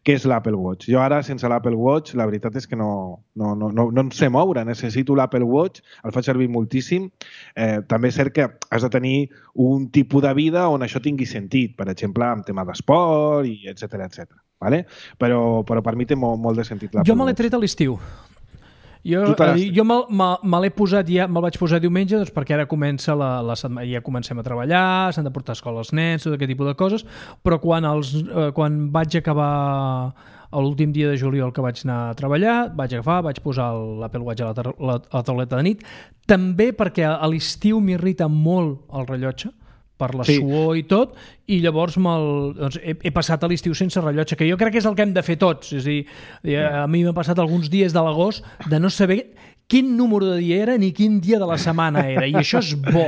que és l'Apple Watch. Jo ara, sense l'Apple Watch, la veritat és que no, no, no, no, no em sé moure. Necessito l'Apple Watch, el faig servir moltíssim. Eh, també és cert que has de tenir un tipus de vida on això tingui sentit, per exemple, en tema d'esport, i etcètera, etcètera. Vale? Però, però per mi té molt, molt de sentit l'Apple Watch. Jo me l'he tret a l'estiu. Jo, jo me, me, me l'he posat, ja me'l vaig posar diumenge, doncs perquè ara comença la, la setmana, ja comencem a treballar, s'han de portar a escola els nens, tot aquest tipus de coses, però quan, els, eh, quan vaig acabar l'últim dia de juliol que vaig anar a treballar, vaig agafar, vaig posar l'Apple Watch a la, la, a la tauleta de nit, també perquè a l'estiu m'irrita molt el rellotge, per la sí. suor i tot, i llavors doncs, he, he passat a l'estiu sense rellotge, que jo crec que és el que hem de fer tots. És a dir, a mi m'ha passat alguns dies de l'agost de no saber quin número de dia era ni quin dia de la setmana era, i això és bo.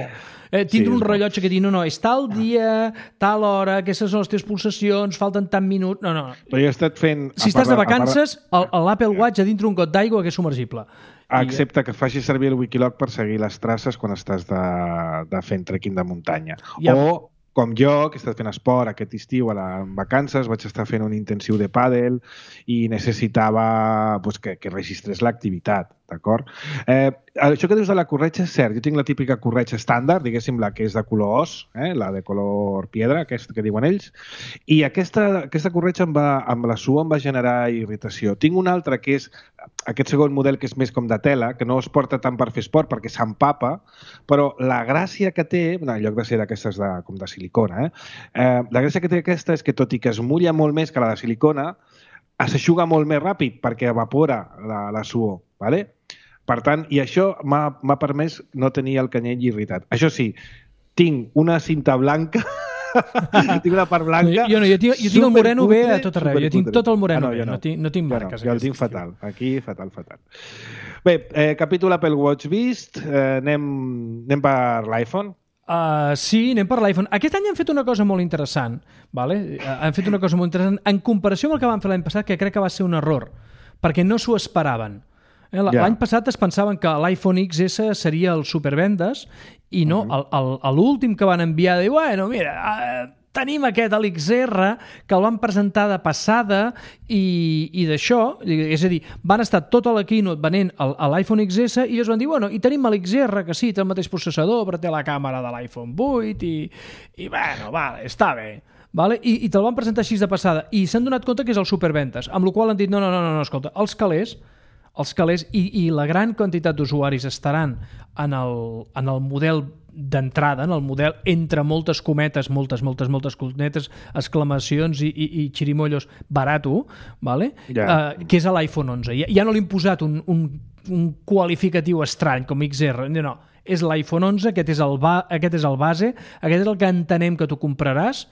Eh, tindre sí, un rellotge que diu, no, no, és tal dia, tal hora, aquestes són les teves pulsacions, falten tant minuts... No, no. Però jo he estat fent... Si estàs de vacances, l'Apple Watch a dintre un got d'aigua que és submergible. Excepte que facis servir el Wikiloc per seguir les traces quan estàs de, de fent trekking de muntanya. Ja. O, com jo, que he estat fent esport aquest estiu a la, en vacances, vaig estar fent un intensiu de pàdel i necessitava pues, que, que registrés l'activitat, d'acord? Eh, això que dius de la corretja és cert. Jo tinc la típica corretja estàndard, diguéssim, la que és de color os, eh, la de color piedra, aquesta que diuen ells, i aquesta, aquesta corretja em va, amb la suor em va generar irritació. Tinc una altra que és aquest segon model que és més com de tela, que no es porta tant per fer esport perquè s'empapa, però la gràcia que té, en lloc de ser d'aquestes de, com de silicona, eh, eh, la gràcia que té aquesta és que tot i que es mulla molt més que la de silicona, s'eixuga molt més ràpid perquè evapora la, la suor, ¿vale? Per tant, i això m'ha permès no tenir el canyell irritat. Això sí, tinc una cinta blanca tinc una part blanca. Jo no, jo tinc, jo tinc el moreno bé a tot arreu. Jo tinc tot el moreno ah, no, bé, no. no tinc, no tinc marques. Jo, no, jo el tinc fatal. Aquí, fatal, fatal. Bé, eh, capítol Apple Watch vist. Eh, anem, anem per l'iPhone. Uh, sí, anem per l'iPhone. Aquest any han fet una cosa molt interessant. Vale? Uh, han fet una cosa molt interessant en comparació amb el que van fer l'any passat, que crec que va ser un error, perquè no s'ho esperaven. L'any yeah. passat es pensaven que l'iPhone X S seria el supervendes i no, uh-huh. l'últim que van enviar de, bueno, mira, uh, tenim aquest, l'X R, que el van presentar de passada i, i d'això, és a dir, van estar tota la keynote venent l'iPhone X S i es van dir, bueno, i tenim l'X R, que sí, té el mateix processador, però té la càmera de l'iPhone vuit i, i bueno, vale, està bé. Vale? I, i te'l van presentar així de passada i s'han donat compte que és el supervendes, amb la qual han dit, no, no, no, no, escolta, els calés els calés i, i la gran quantitat d'usuaris estaran en el, en el model d'entrada, en el model entre moltes cometes, moltes, moltes, moltes cometes, exclamacions i, i, i xirimollos barato, vale? Yeah. Uh, que és l'iPhone onze. Ja, ja no li hem posat un, un, un qualificatiu estrany com X R, no, no. És l'iPhone onze, aquest és el, ba, aquest és el base, aquest és el que entenem que tu compraràs.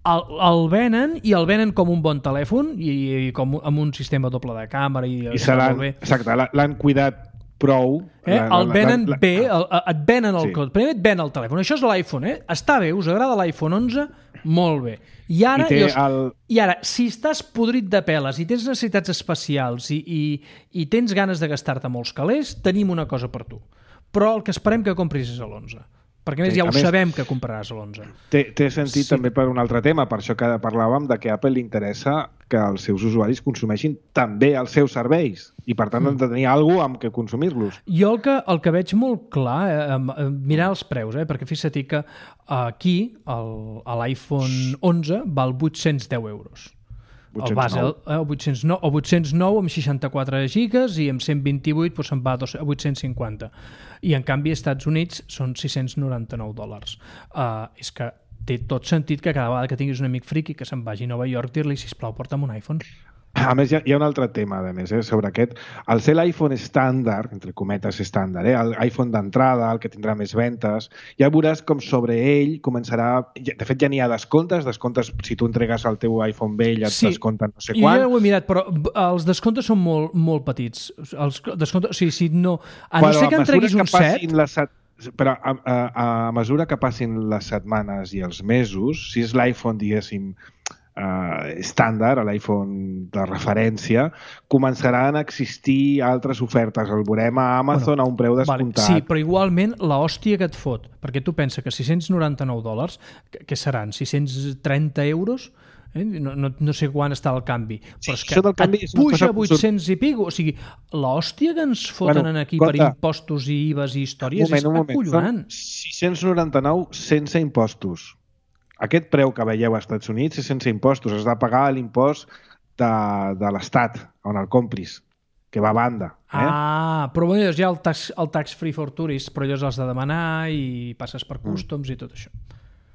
El, el venen i el venen com un bon telèfon i, i com amb un sistema doble de càmera i, I se l'han, exacte, l'han cuidat prou eh? la, el venen la, la, bé el, et venen el sí. cot, primer et ven el telèfon, això és l'iPhone, eh? Està bé, us agrada l'iPhone onze? Molt bé. I ara, I, jo, el... i ara si estàs podrit de peles i tens necessitats especials i, i, i tens ganes de gastar-te molts calés, tenim una cosa per tu, però el que esperem que compris és l'onze. Perquè més sí, ja ho més, sabem que compraràs l'onze. Té, té sentit sí. també per un altre tema, per això que parlàvem de que a Apple li interessa que els seus usuaris consumeixin també els seus serveis i per tant mm. han de tenir alguna cosa amb què consumir-los. Jo el que, el que veig molt clar, eh, mirar els preus, eh, perquè fixa't que aquí l'iPhone onze val vuit-cents deu euros. El base, el vuit-cents nou, o vuit-cents nou amb seixanta-quatre gigas i amb cent vint-i-vuit doncs se'n va a vuit-cents cinquanta. I en canvi als Estats Units són sis-cents noranta-nou dòlars. Uh, és que té tot sentit que cada vegada que tinguis un amic friqui que se'n vagi a Nova York dir-li, sisplau, porta'm un iPhone. A més, hi ha, hi ha un altre tema, a més, eh, sobre aquest. Al ser l'iPhone estàndard, entre cometes estàndard, eh, l'iPhone d'entrada, el que tindrà més ventes, ja veuràs com sobre ell començarà... De fet, ja n'hi ha descomptes, descomptes si tu entregues el teu iPhone vell et sí, descompten no sé quan. Sí, jo ho he mirat, però els descomptes són molt, molt petits. Els descomptes, o sigui, si no... A no bueno, ser que entreguis un set... set... Però a, a, a mesura que passin les setmanes i els mesos, si és l'iPhone, diguéssim, uh, estàndard, a l'iPhone de referència, començaran a existir altres ofertes. El veurem a Amazon bueno, a un preu descomptat. Vale, sí, però igualment l'hòstia que et fot, perquè tu pensa que sis-cents noranta-nou dòlars, que, que seran sis-cents trenta euros, eh? no, no, no sé quan està el canvi, sí, però és que canvi et puja vuit-cents i pico, o sigui, l'hòstia que ens foten bueno, aquí compte, per impostos i I V As i històries moment, és acollonant. sis-cents noranta-nou sense impostos. Aquest preu que veieu als Estats Units és sense impostos, has de pagar l'impost de, de l'Estat on el compris, que va a banda. Eh? Ah, però bueno, hi ha el tax, el tax free for tourists, però allò has de demanar i passes per customs mm. i tot això.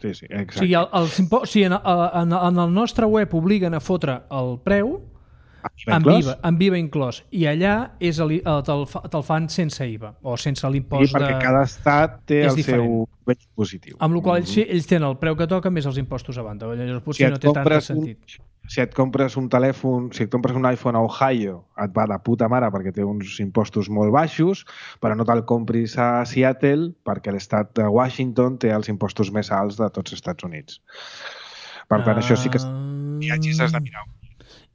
Sí, sí, exacte. O sigui, el, el, impo... o sigui en, en, en el nostre web obliguen a fotre el preu amb I V A, amb I V A inclòs, i allà és el, te'l, te'l fan sense I V A o sense l'impost sí, perquè de... cada estat té és el diferent. seu vell positiu. Amb la qual cosa ells, ells tenen el preu que toca més els impostos a banda. Llavors potser si no té tant sentit. Un, si et compres un telèfon, si et compres un iPhone a Ohio, et va de puta mare perquè té uns impostos molt baixos, però no te'l compris a Seattle perquè l'estat de Washington té els impostos més alts de tots els Estats Units. Per tant, uh... això sí que viatges has de mirar.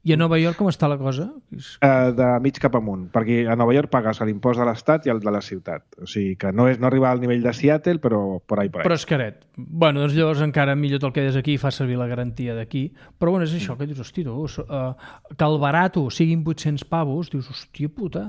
I a Nova York com està la cosa? Uh, de mig cap amunt, perquè a Nova York pagues l'impost de l'estat i el de la ciutat. O sigui que no, és, no arriba al nivell de Seattle, però por ahí, por ahí. Però és caret. Bueno, doncs llavors encara millor te'l quedes aquí i fas servir la garantia d'aquí. Però bueno, és això, que dius, hosti, tu, uh, que el barato siguin vuit-cents pavos, dius, hòstia puta.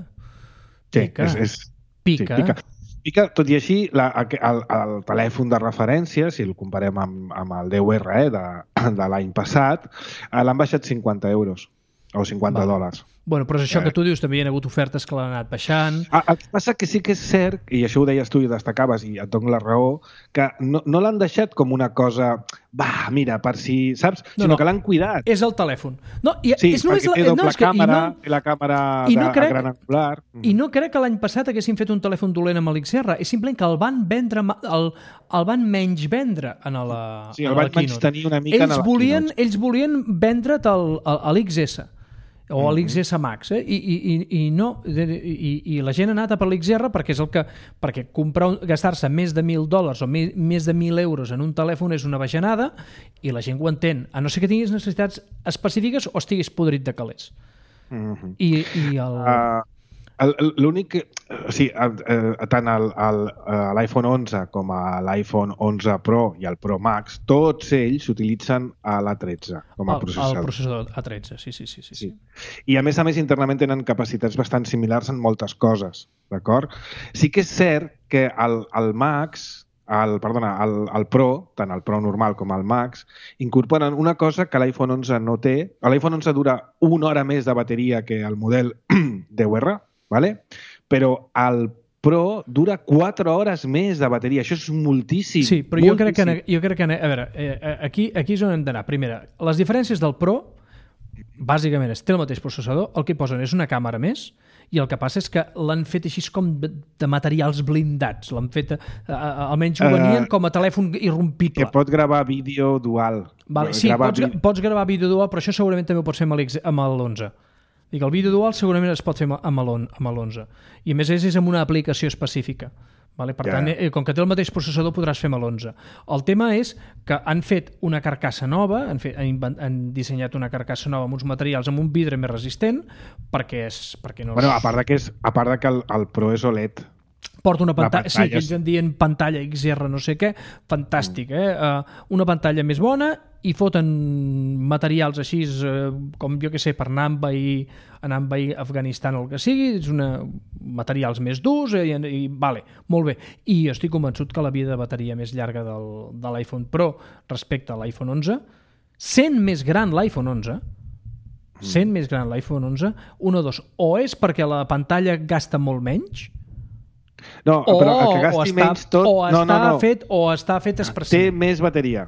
Pica. Sí, és, és... Pica. Sí, pica. Pica, tot i així, la, el, el telèfon de referència, si el comparem amb, amb el deu erre eh, de, de l'any passat, l'han baixat cinquanta euros o cinquanta vale. dòlars. Bueno, però és això eh. que tu dius, també hi ha hagut ofertes que l'han anat baixant. Ah, el que passa que sí que és cert, i això ho deies tu i destacaves, i et dono la raó, que no, no l'han deixat com una cosa, va, mira, per si, saps? No, Sinó no, que l'han cuidat. És el telèfon. No, i, sí, és només perquè la, té doble no, és que, càmera, no, té la càmera i no de, crec, gran angular. I no crec que l'any passat haguessin fet un telèfon dolent amb l'X R, és simplement que el van vendre, el, el van menys vendre en la Sí, el van menys tenir una mica ells en la volien, Keynote. Ells volien vendre't l'X S o a l'X S Max, eh? I, i, i no, i, i la gent ha anat a per l'X R perquè és el que, perquè comprar un, gastar-se més de mil dòlars o més, més de mil euros en un telèfon és una bajanada i la gent ho entén, a no ser que tinguis necessitats específiques o estiguis podrit de calés. Mm-hmm. I, i el... Uh... L'únic que, o sigui, tant l'iPhone onze com a l'iPhone onze Pro i el Pro Max, tots ells s'utilitzen a l'A tretze com a el, processador. El processador A tretze, sí, sí, sí, sí, sí. I a més a més internament tenen capacitats bastant similars en moltes coses, d'acord? Sí que és cert que el, el Max, el, perdona, el, el Pro, tant el Pro normal com el Max, incorporen una cosa que l'iPhone onze no té. L'iPhone onze dura una hora més de bateria que el model deu erre, vale? Però el Pro dura quatre hores més de bateria. Això és moltíssim. Sí, però jo crec, que, jo crec que... A veure, eh, aquí, aquí és on hem d'anar. Primera, les diferències del Pro, bàsicament, és té el mateix processador, el que posen és una càmera més, i el que passa és que l'han fet així com de materials blindats. L'han fet, eh, almenys ho venien com a telèfon irrompible. Que pot gravar vídeo dual. Vale, sí, gravar pots, vi... pots gravar vídeo dual, però això segurament també ho pots fer amb l'onze. Dic, el vídeo dual segurament es pot fer amb l'onze. I a més és, és amb una aplicació específica. Vale? Per yeah. tant, eh, com que té el mateix processador, podràs fer amb l'onze. El tema és que han fet una carcassa nova, han, fet, han, invent, han dissenyat una carcassa nova amb uns materials amb un vidre més resistent, perquè és... Perquè no és... Bueno, a part de que, és, a part de que el, el Pro és O L E D. Porta una pantalla, pantalla, sí, que ells en diuen pantalla X R no sé què, fantàstic, eh? Uh, una pantalla més bona i foten materials així uh, com jo que sé, per anar a envair, anar a envair Afganistan o el que sigui, és una, materials més durs eh, i, i vale, molt bé. I jo estic convençut que la vida de bateria més llarga del, de l'iPhone Pro respecte a l'iPhone onze, sent més gran l'iPhone onze, sent mm. més gran l'iPhone onze, un o dos, o és perquè la pantalla gasta molt menys, no, o, però el que gasti està, menys tot... O no, està, no, no. Fet, o està fet expressiu. Té més bateria.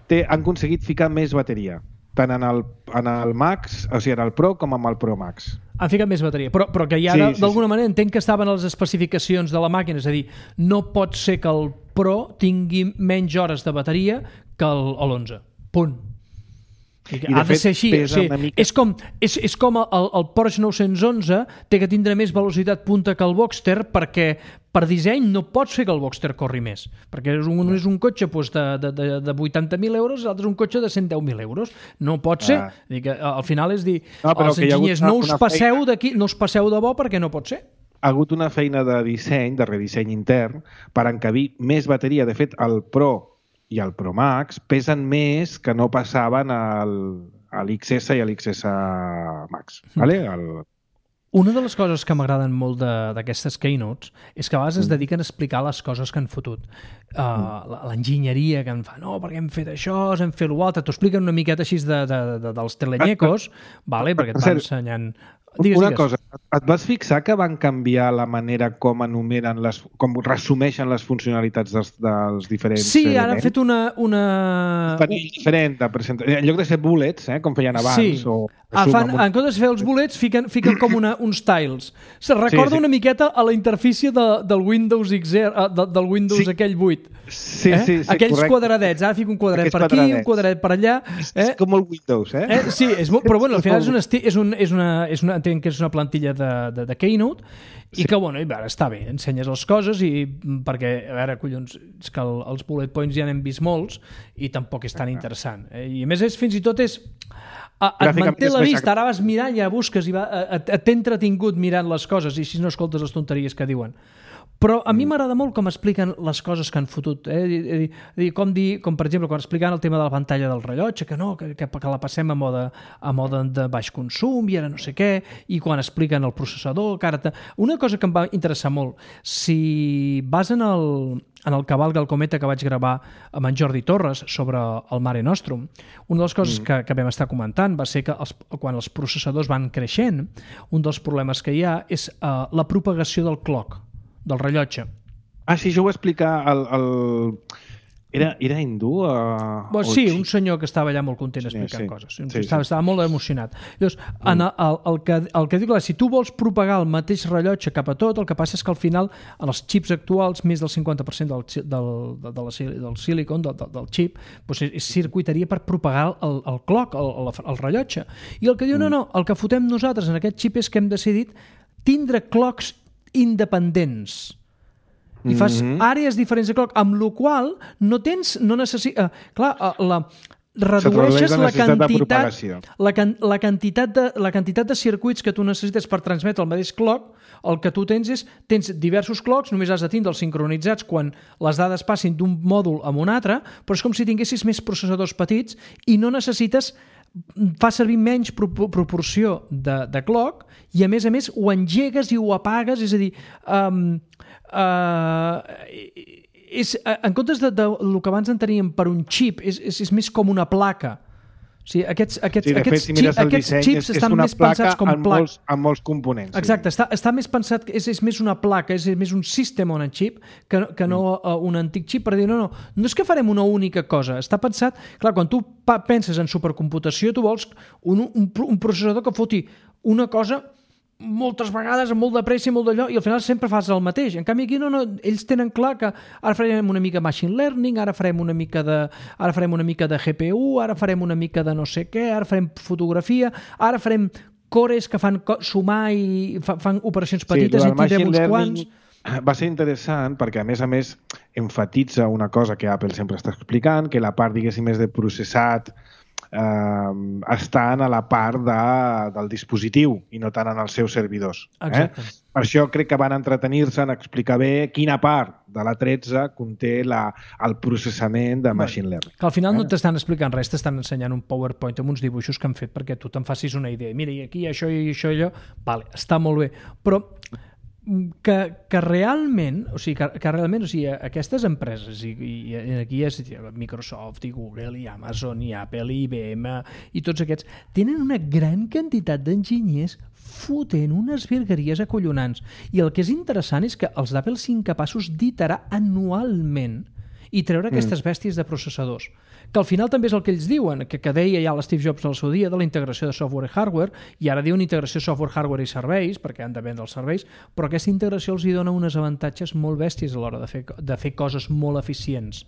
Té, han aconseguit ficar més bateria. Tant en el, en el Max, o sigui, en el Pro com amb el Pro Max. Han ficat més bateria. Però, però que ja sí, d'alguna sí, sí. manera entenc que estaven a les especificacions de la màquina. És a dir, no pot ser que el Pro tingui menys hores de bateria que l'onze. Punt. I ha de, de fet, ser així. O pesa sigui, una mica... És com, és, és com el, el Porsche nou-cents onze té que tindre més velocitat punta que el Boxster perquè per disseny no pots fer que el Boxster corri més, perquè és un, és un cotxe doncs, de, de, de, de vuitanta mil euros, l'altre és un cotxe de cent deu mil euros. No pot ser. Ah. Dir que, al final és dir, no, els enginyers una, no, us passeu feina... no us passeu de bo perquè no pot ser. Ha hagut una feina de disseny, de redisseny intern, per encabir més bateria. De fet, el Pro i el Pro Max pesen més que no passaven al, a l'X S i a l'X S Max. Mm. Vale? El... Una de les coses que m'agraden molt d'aquestes keynotes és que a vegades mm. es dediquen a explicar les coses que han fotut. Uh, mm. L'enginyeria que en fa, no, perquè hem fet això, hem fet l'altre, t'ho expliquen una miqueta així de, de, de, dels telenyecos, vale? Perquè et van ensenyant... Digues, una digues. cosa, et vas fixar que van canviar la manera com enumeren les, com resumeixen les funcionalitats dels, dels diferents sí, elements? Sí, ara han fet una... una... Un panell diferent de presentació. En lloc de ser bullets, eh, com feien abans, sí. o... Ah, fan, en comptes de fer els bullets, fiquen, fiquen com una, uns tiles. Se recorda sí, sí. una miqueta a la interfície de, del Windows X R, de, del Windows sí. aquell vuit. Sí, eh? sí, sí, aquells correcte. Quadradets, ara fico un quadradet Aquests per aquí, quadradets. un quadradet per allà. És, eh? és com el Windows, eh? eh? Sí, és molt, però bueno, al final és una, és un, és una, és una, entenc que és una plantilla de, de, de Keynote i sí. que, bueno, i veure, està bé, ensenyes les coses i perquè, a veure, collons, és que el, els bullet points ja n'hem vist molts i tampoc és tan interessant. Eh? I a més, és, fins i tot és... A, et manté la vista, ara vas mirant, ja busques i va, t'he entretingut mirant les coses i si no escoltes les tonteries que diuen. Però a mi m'agrada molt com expliquen les coses que han fotut. Eh? Com, dir, com per exemple, quan expliquen el tema de la pantalla del rellotge, que no, que, que, que la passem a mode, a mode de baix consum i ara no sé què, i quan expliquen el processador, que ara... Una cosa que em va interessar molt, si vas en el, en el Cavalga el Cometa que vaig gravar amb en Jordi Torres sobre el Mare Nostrum, una de les coses mm. que, que vam estar comentant va ser que els, quan els processadors van creixent, un dels problemes que hi ha és uh, la propagació del clock, del rellotge. Ah, sí, jo ho vaig explicar el... el... Era, era hindú? Uh, Bo, sí, un senyor que estava allà molt content explicant sí, sí. coses. Sí, estava, sí. estava molt emocionat. Llavors, mm. en el, el, el, que, el que dic, si tu vols propagar el mateix rellotge cap a tot, el que passa és que al final, en els xips actuals, més del cinquanta per cent del, del, de, de la, del silicon, del, del xip, doncs és, és circuiteria per propagar el, el clock, el, el, el rellotge. I el que diu, mm. no, no, el que fotem nosaltres en aquest xip és que hem decidit tindre clocks independents. I fas mm-hmm. àrees diferents de clock, amb la qual no tens, no necessites... Uh, clar, uh, la, redueixes la, la quantitat la, can, la, quantitat de, la quantitat de circuits que tu necessites per transmetre el mateix clock. El que tu tens és, tens diversos clocks, només has de tindre els sincronitzats quan les dades passin d'un mòdul a un altre, però és com si tinguessis més processadors petits i no necessites fa servir menys pro proporció de, de clock i a més a més ho engegues i ho apagues, és a dir, um, uh, és, en comptes de, de lo que abans enteníem per un xip, és, és, és més com una placa. O sigui, aquests, aquests, sí, de fet, aquests, si mires el aquests disseny, xips és, estan és més pensats com amb placa. molts, amb molts components. Exacte, sí. està, està més pensat, és, és més una placa, és més un system on a chip que, que no uh, un antic xip per dir, no, no, no és que farem una única cosa, està pensat, clar, quan tu penses en supercomputació, tu vols un, un, un processador que foti una cosa moltes vegades, amb molt de pressa i molt d'allò, i al final sempre fas el mateix. En canvi aquí no, no, ells tenen clar que ara farem una mica machine learning, ara farem una mica de, ara farem una mica de G P U, ara farem una mica de no sé què, ara farem fotografia, ara farem cores que fan sumar i fa, fan operacions petites sí, i tirem uns quants. Va ser interessant perquè, a més a més, enfatitza una cosa que Apple sempre està explicant, que la part, diguéssim, més de processat Uh, estan a la part de, del dispositiu i no tant en els seus servidors. Eh? Per això crec que van entretenir-se en explicar bé quina part de l'A tretze conté la, el processament de machine learning. Que al final eh? no t'estan explicant res, t'estan ensenyant un PowerPoint amb uns dibuixos que han fet perquè tu te'n facis una idea. Mira, i aquí això i això i allò, vale, està molt bé. Però que, que realment, o sigui, que, que realment, o sigui, aquestes empreses, i, i aquí és Microsoft, i Google, i Amazon, i Apple, i I B M, i tots aquests, tenen una gran quantitat d'enginyers fotent unes virgueries acollonants. I el que és interessant és que els d'Apple siguin capaços d'iterar anualment i treure aquestes bèsties de processadors. Que al final també és el que ells diuen, que, que deia ja l'Steve Jobs al seu dia de la integració de software i hardware, i ara diuen integració software, hardware i serveis, perquè han de vendre els serveis, però aquesta integració els hi dona uns avantatges molt bèsties a l'hora de fer, de fer coses molt eficients.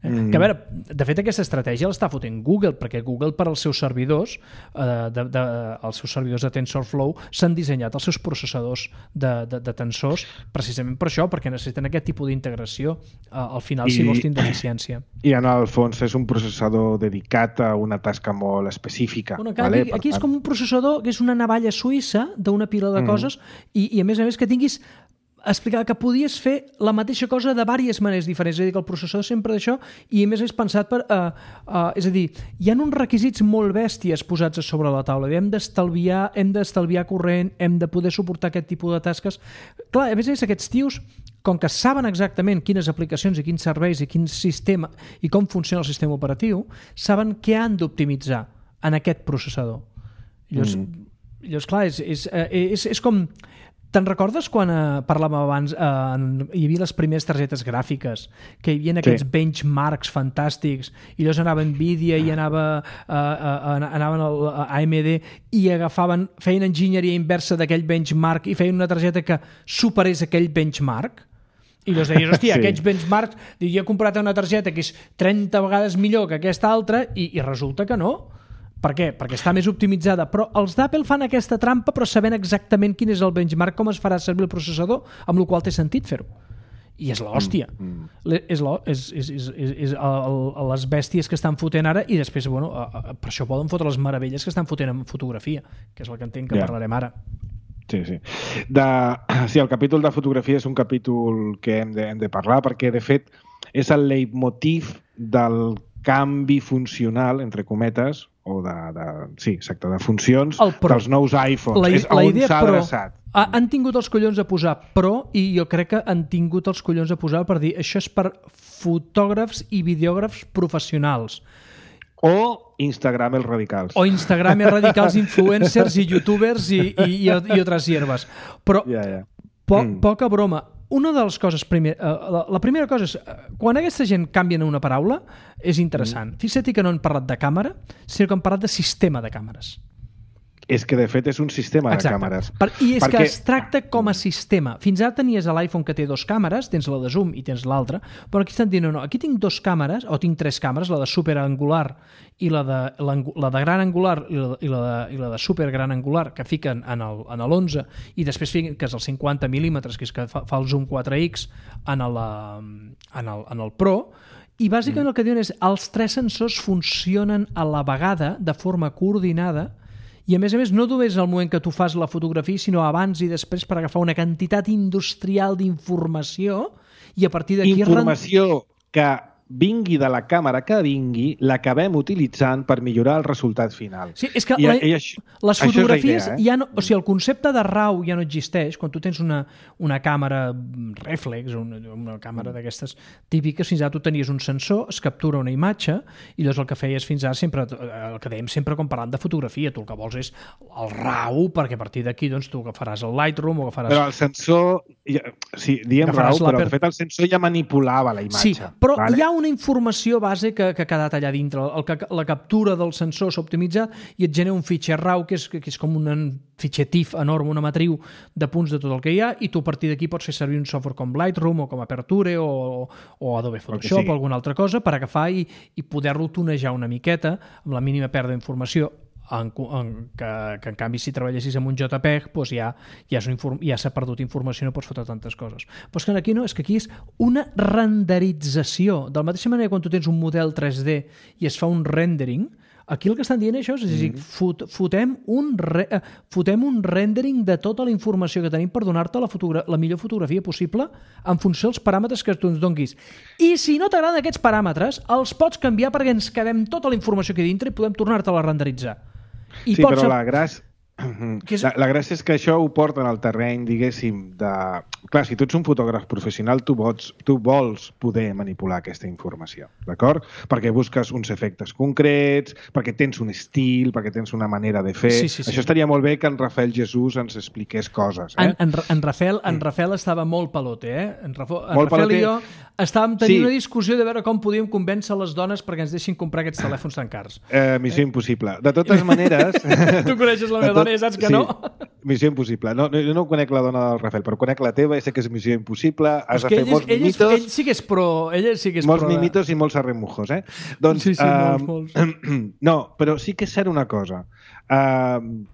Mm. Que a veure, de fet aquesta estratègia l'està fotent Google, perquè Google per als seus servidors, eh, de, de, els seus servidors de TensorFlow s'han dissenyat els seus processadors de, de, de tensors precisament per això, perquè necessiten aquest tipus d'integració eh, al final I, si vols tindre eficiència. I en el fons és un processador dedicat a una tasca molt específica. Bueno, clar, vale? Aquí, aquí és com un processador que és una navalla suïssa d'una pila de mm. coses i, i a més a més que tinguis explicar que podies fer la mateixa cosa de diverses maneres diferents, és a dir, que el processador sempre d'això i a més és pensat per... Uh, uh, és a dir, hi ha uns requisits molt bèsties posats a sobre la taula. Hem d'estalviar, hem d'estalviar corrent, hem de poder suportar aquest tipus de tasques. Clar, a més a més aquests tios, com que saben exactament quines aplicacions i quins serveis i quin sistema i com funciona el sistema operatiu, saben què han d'optimitzar en aquest processador. Llavors, mm. llavors clar, és, és, és, és com... Te'n recordes quan eh, parlàvem abans, eh, hi havia les primeres targetes gràfiques, que hi havia aquests sí. benchmarks fantàstics, i llavors anava Nvidia i anava, eh, eh, anaven al A M D i agafaven, feien enginyeria inversa d'aquell benchmark i feien una targeta que superés aquell benchmark? I llavors deies, hòstia, sí. aquests benchmarks, jo he comprat una targeta que és trenta vegades millor que aquesta altra i, i resulta que no. Per què? Perquè està més optimitzada. Però els d'Apple fan aquesta trampa però sabent exactament quin és el benchmark, com es farà servir el processador, amb el qual té sentit fer-ho. I és l'hòstia. Mm, mm. És, és, és, és, és, és el, les bèsties que estan fotent ara i després, bueno, per això poden fotre les meravelles que estan fotent en fotografia, que és el que entenc que yeah. parlarem ara. Sí, sí. De, sí, el capítol de fotografia és un capítol que hem de, hem de parlar perquè, de fet, és el leitmotiv del canvi funcional, entre cometes, o de, de, sí, exacte, de funcions dels nous iPhones. La, és la on idea s'ha Pro, adreçat. Han tingut els collons a posar Pro i jo crec que han tingut els collons a posar per dir això és per fotògrafs i videògrafs professionals. O Instagramers radicals. O Instagramers radicals, influencers i youtubers i, i, i, i altres hierbes. Però yeah, yeah. Po, mm. poca broma. Una de les coses, primer, uh, la, la primera cosa és, uh, quan aquesta gent canvien una paraula, és interessant. Mm. Fixa't que no han parlat de càmera, sinó que han parlat de sistema de càmeres. És que, de fet, és un sistema Exacte. de càmeres. Per, I és Perquè... que es tracta com a sistema. Fins ara tenies l'iPhone que té dos càmeres, tens la de zoom i tens l'altra, però aquí estan dient, no, no, aquí tinc dos càmeres, o tinc tres càmeres, la de superangular i la de, la de gran angular i la, i la, de, i la de super gran angular, que fiquen en l'onze, i després fiquen que és el cinquanta mil·límetres, que és que fa, fa el zoom quatre ics en el, en el, en el Pro, i bàsicament mm. el que diuen és els tres sensors funcionen a la vegada de forma coordinada. I a més a més no només al moment que tu fas la fotografia, sinó abans i després per agafar una quantitat industrial d'informació i a partir d'aquí... Informació que vingui de la càmera que vingui, l'acabem utilitzant per millorar el resultat final. Sí, és que I, la, i això, les fotografies, idea, eh? ja no, o sigui, el concepte de RAW ja no existeix. Quan tu tens una, una càmera reflex, una, una càmera mm. d'aquestes típiques, fins ara tu tenies un sensor, es captura una imatge, i llavors el que feies fins ara sempre, el que dèiem sempre quan parlant de fotografia, tu el que vols és el RAW, perquè a partir d'aquí doncs, tu agafaràs el Lightroom o agafaràs... Però el sensor, ja, sí, diem RAW, però per... de fet el sensor ja manipulava la imatge. Sí, però vale? Hi ha una informació base que, que ha quedat allà dintre. El, el, la captura del sensor s'ha optimitzat i et genera un fitxer RAW que és, que és com un fitxer T I F enorme, una matriu de punts de tot el que hi ha, i tu a partir d'aquí pots fer servir un software com Lightroom o com Aperture o, o Adobe Photoshop o alguna altra cosa per agafar i, i poder-lo tunejar una miqueta amb la mínima pèrdua d'informació. En, en, que, que en canvi si treballessis amb un JPEG doncs ja, ja, inform, ja s'ha perdut informació, no pots fotre tantes coses. Però és que aquí no, és que aquí és una renderització. De la mateixa manera quan tu tens un model tres D i es fa un rendering, aquí el que estan dient això és, és a dir, fot, fotem, un re, fotem un rendering de tota la informació que tenim per donar-te la, la millor fotografia possible en funció dels paràmetres que tu ens donguis. I si no t'agraden aquests paràmetres, els pots canviar perquè ens quedem tota la informació aquí dintre i podem tornar-te-la a renderitzar. I sí, pots... però la gràcia... És... La, la gràcia és que això ho porta en el terreny, diguéssim, de... Clar, si tu ets un fotògraf professional, tu vols, tu vols poder manipular aquesta informació, d'acord? Perquè busques uns efectes concrets, perquè tens un estil, perquè tens una manera de fer... Sí, sí, sí. Això estaria molt bé que en Rafael Jesús ens expliqués coses, eh? En, en, en, Rafael, en Rafael estava molt pelote, eh? En, Rafo, en Rafael pelote. I jo estàvem tenint sí. una discussió de veure com podíem convèncer les dones perquè ens deixin comprar aquests telèfons tan cars. Eh, missió eh? impossible. De totes maneres... Tu coneixes la meva dona, també, saps que sí. no? Missió impossible. No, no, no conec la dona del Rafael, però conec la teva i sé que és missió impossible. Has de fer molts ell, mimitos. És, ell sí que és pro. Ell sí que és molts pro de... mimitos i molts arremujos, eh? Doncs, sí, sí, uh, molts, molts. No, però sí que és cert una cosa. Uh,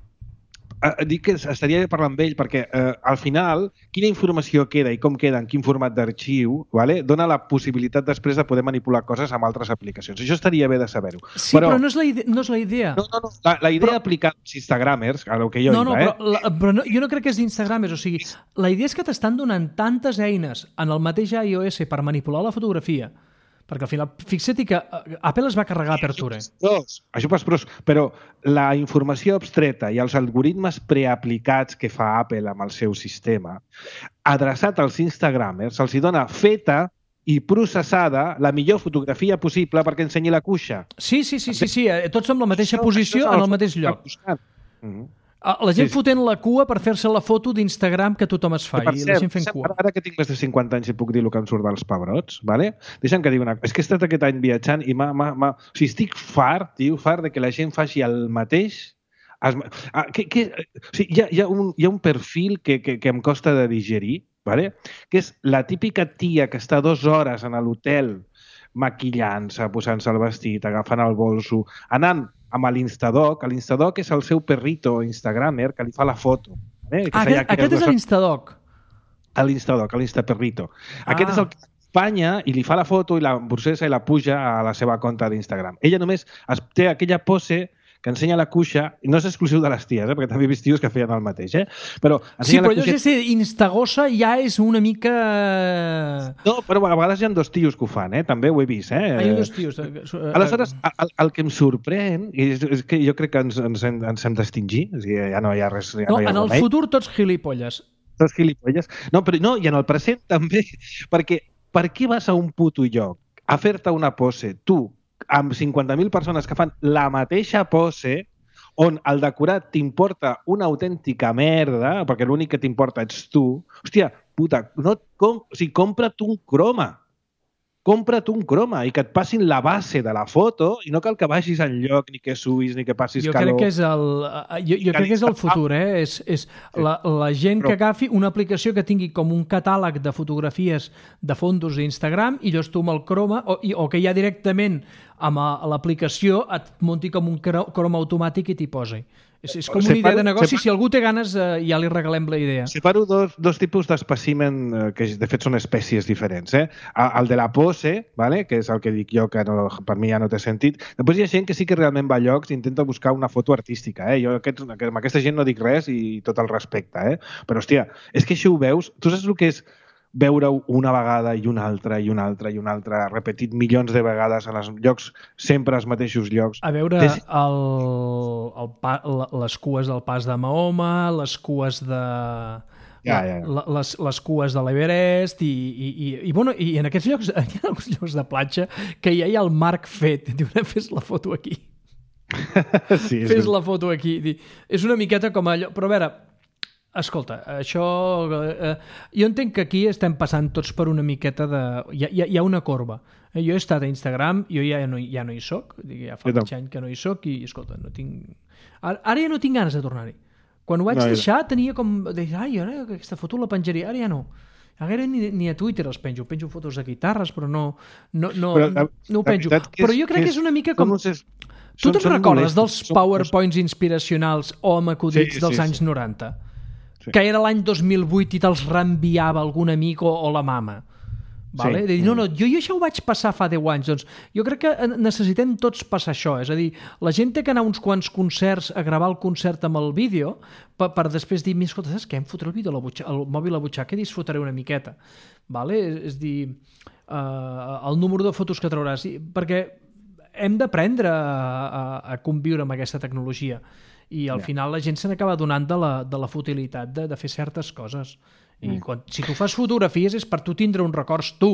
Uh, dic que estaria bé parlar amb ell perquè uh, al final quina informació queda i com queda en quin format d'arxiu, vale? Dona la possibilitat després de poder manipular coses amb altres aplicacions. Això estaria bé de saber-ho. Sí, però, però no, és la idea, no és la idea. No, no, no. La, la idea però... aplicada als instagramers, a lo que jo no, no, iba, però, eh? la, però no, jo no crec que és d'instagramers. O sigui, la idea és que t'estan donant tantes eines en el mateix iOS per manipular la fotografia. Perquè al final, fixa't que Apple es va carregar Aperture. Això pels pros, però la informació abstreta i els algoritmes preaplicats que fa Apple amb el seu sistema, adreçat als instagramers, se'ls dona feta i processada la millor fotografia possible perquè ensenyi la cuixa. Sí, sí, sí, sí, sí. tots amb la mateixa això, posició això en el mateix lloc. Mm-hmm. La gent sí, fotent la cua per fer-se la foto d'Instagram que tothom es fa, i cert, la gent fent cua. Ara que tinc més de cinquanta anys i puc dir el que em surt dels pebrots, vale? Deixa'm que digui una cosa. És que he estat aquest any viatjant i m'ha... O sigui, estic fart, tio, fart de que la gent faci el mateix... Es... Ah, que, que... O sigui, hi ha, hi, ha un, hi ha un perfil que, que, que em costa de digerir, vale? Que és la típica tia que està dues hores en l'hotel maquillant-se, posant-se el vestit, agafant el bolso, anant amb l'Instadoc. L'Instadoc és el seu perrito instagramer que li fa la foto. Eh? Ah, aquest, aquest és l'Instadoc. L'Instadoc, l'Instaperrito. Ah. Aquest és el que acompanya i li fa la foto i la processa i la puja a la seva compte d'Instagram. Ella només es, té aquella pose que ensenya la cuixa, i no és exclusiu de les ties, eh? Perquè també he vist tios que feien el mateix, eh? Però sí, però allò cuixa... Instagosa ja és una mica... No, però a vegades hi ha dos tios que ho fan, eh? També ho he vist, eh? Hi ha dos tios. Aleshores, el, el que em sorprèn, és, és que jo crec que ens, ens, hem, ens hem d'extingir, o sigui, ja no hi ha res... Ja no, no hi ha en el remei. futur tots gilipolles. Tots gilipolles. No, però no, i en el present també, perquè per què vas a un puto lloc a fer-te una pose, tu, amb cinquanta mil persones que fan la mateixa pose, on el decorat t'importa una autèntica merda, perquè l'únic que t'importa ets tu, hòstia, puta, no et com... o sigui, compra't un croma. Compra't un croma i que et passin la base de la foto i no cal que vagis enlloc, ni que subis, ni que passis jo calor. Crec que és el, jo, jo crec que és el futur, eh? És, és sí. la, la gent Però... que agafi una aplicació que tingui com un catàleg de fotografies de fondos d'Instagram i llavors tu amb el croma, o, o que ja directament amb l'aplicació et munti com un croma automàtic i t'hi posi. És, és com una idea de negoci. Si algú té ganes, eh, ja li regalem la idea. Separo dos, dos tipus d'espècimen eh, que de fet són espècies diferents. Eh? El de la pose, vale? Que és el que dic jo, que no, per mi ja no té sentit. Després hi ha gent que sí que realment va a llocs i intenta buscar una foto artística. Eh? Jo aquest, amb aquesta gent no dic res i tot el respecte. Eh? Però, hòstia, és que això ho veus... Tu saps el que és veure-ho una vegada i una altra i una altra i una altra, repetit milions de vegades en els llocs, sempre als mateixos llocs. A veure Des... el, el pa, les cues del pas de Mahoma, les cues de... Ja, ja, ja. Les, les cues de l'Everest i, i, i, i, bueno, i en aquests llocs, hi ha alguns llocs de platja que ja hi ha el marc fet. Diu, fes la foto aquí. Sí, fes la foto aquí. És una miqueta com allò... Però a veure, escolta, això... Eh, jo entenc que aquí estem passant tots per una miqueta de... Hi ha, hi ha una corba. Eh, jo he estat a Instagram, jo ja no, ja no hi soc, ja fa mig any que no hi soc i, escolta, no tinc... Ara, ara ja no tinc ganes de tornar-hi. Quan ho vaig no, deixar tenia com... Deia, ai, ara aquesta foto la penjaria, ara ja no. Ara ni, ni a Twitter els penjo. Penjo fotos de guitarres, però no, no, no, però, la, no ho penjo. Però jo crec que és, que és una mica com... És, tu te'n recordes dels PowerPoints inspiracionals o amb acudits sí, dels sí, anys sí. noranta? Sí. Que era l'any dos mil vuit i te'ls reenviava algun amic o, o la mama. Vale? Sí. De dir, no, no, jo, jo això ho vaig passar fa deu anys. Doncs jo crec que necessitem tots passar això. És a dir, la gent té que anar uns quants concerts a gravar el concert amb el vídeo per, per després dir, escolta, saps què? Em fotré el vídeo a la butxaca, el mòbil a la butxaca i disfrutaré una miqueta. Vale? És, és dir, uh, el número de fotos que trauràs. Perquè hem d'aprendre a, a, a conviure amb aquesta tecnologia. I al yeah. final la gent se n'acaba donant de la, de la futilitat de, de fer certes coses. I quan, si tu fas fotografies és per tu tindre uns records tu.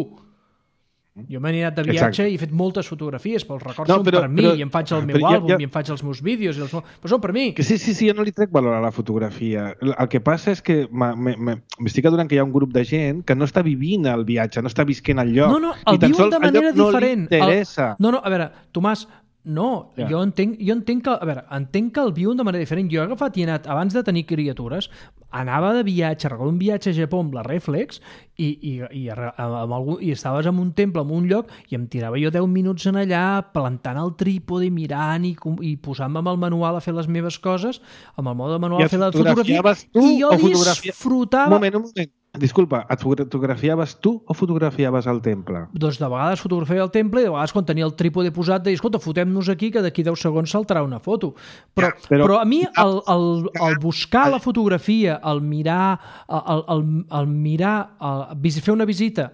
Jo m'he anat de viatge Exacte. i he fet moltes fotografies, però els records no, però, són per mi, però, i em faig el meu àlbum, ja, ja... i em faig els meus vídeos, i els... però són per mi. Que sí, sí, sí, jo no li trec valor a la fotografia. El que passa és que m'estic adonant que hi ha un grup de gent que no està vivint el viatge, no està visquent el lloc. No, no, el viuen de manera no diferent. Li interessa. El... No, no, a veure, Tomàs, No, Ja. jo entenc, jo entenc que, a veure, entenc que el viuen de manera diferent. Jo he agafat i he anat, abans de tenir criatures, anava de viatge, recordo un viatge a Japó amb la Reflex i, i, i, amb algun, i estaves en un temple, en un lloc, i em tirava jo deu minuts en allà, plantant el trípode i mirant i, i posant-me amb el manual a fer les meves coses, amb el mode manual a fer la fotografia, tu, i jo fotografia... disfrutava... Un moment, un moment. Disculpa, et fotografiaves tu o fotografiaves el temple? Doncs de vegades fotografiava el temple i de vegades quan tenia el trípode posat deia, escolta, fotem-nos aquí que d'aquí deu segons saltarà una foto. Però, ja, però, però a mi el, el, el buscar la fotografia, el mirar, el, el, el mirar, el, fer una visita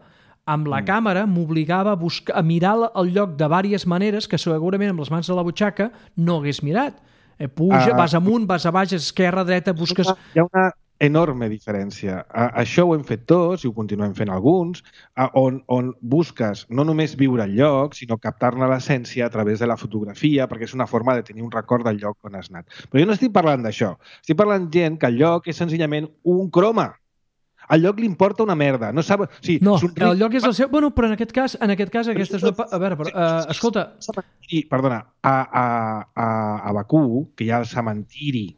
amb la mm. càmera m'obligava a, buscar, a mirar el lloc de diverses maneres que segurament amb les mans a la butxaca no hagués mirat. Eh, puja, uh, vas amunt, vas a baix, esquerra, dreta, busques... Hi ha una enorme diferència. Uh, això ho hem fet tots i ho continuem fent alguns, uh, on, on busques no només viure el lloc, sinó captar-ne l'essència a través de la fotografia, perquè és una forma de tenir un record del lloc on has anat. Però jo no estic parlant d'això. Estic parlant gent que el lloc és senzillament un croma. Al lloc li importa una merda. No, sap... sí, no el lloc és el seu... Bueno, però en aquest cas, en aquest cas aquesta és una... A veure, però, uh, escolta... Sí, perdona, a, a, a, a Bakú, que hi ha el cementiri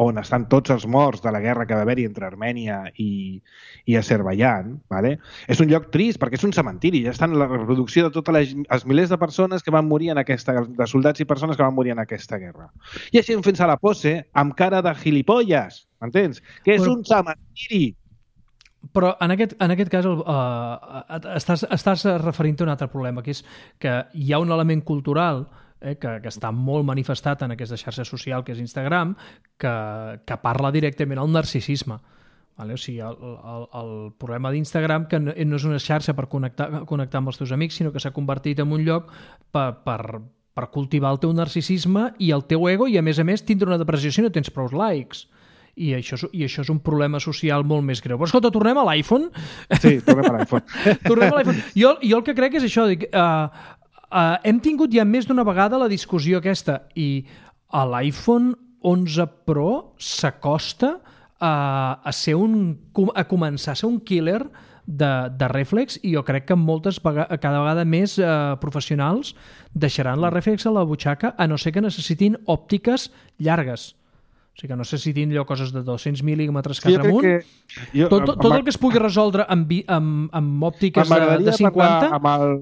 on estan tots els morts de la guerra que va haver-hi entre Armènia i, i Azerbaiyán, ¿vale? És un lloc trist perquè és un cementiri, ja estan la reproducció de tots els milers de persones que van morir en aquesta, de soldats i persones que van morir en aquesta guerra. I així fent a la pose amb cara de gilipolles, m'entens? Que és però... un cementiri. Però en aquest, en aquest cas uh, estàs, estàs referint a un altre problema, que és que hi ha un element cultural eh, que, que està molt manifestat en aquesta xarxa social que és Instagram, que, que parla directament al narcisisme. Vale? O sigui, el, el, el problema d'Instagram que no, no és una xarxa per connectar, connectar amb els teus amics, sinó que s'ha convertit en un lloc per, per, per cultivar el teu narcisisme i el teu ego i, a més a més, tindre una depressió si no tens prou likes. I això, I això és un problema social molt més greu. Però escolta, tornem a l'iPhone. Sí, tornem a l'iPhone. tornem a l'iPhone. Jo, jo el que crec és això, dic, uh, uh, hem tingut ja més d'una vegada la discussió aquesta i a l'iPhone onze Pro s'acosta a, a, ser un, a començar a ser un killer de, de reflex i jo crec que moltes vegades, cada vegada més uh, professionals deixaran la reflex a la butxaca a no ser que necessitin òptiques llargues. O sigui que no sé si tindrà coses de dos-cents mil·límetres cap amunt. Jo, tot, tot, tot el que es pugui resoldre amb, amb, amb òptiques de, de cinquanta... Amb el...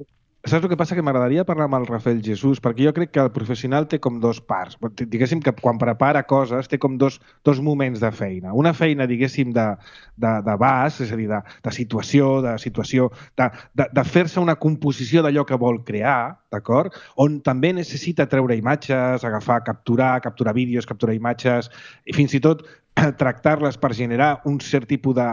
Saps el que passa? Que m'agradaria parlar amb el Rafael Jesús, perquè jo crec que el professional té com dos parts. Diguéssim que quan prepara coses té com dos, dos moments de feina. Una feina, diguéssim, de, de, de base, és a dir, de, de situació, de situació, de, de, de fer-se una composició d'allò que vol crear, d'acord? On també necessita treure imatges, agafar, capturar, capturar vídeos, capturar imatges, i fins i tot tractar-les per generar un cert tipus de...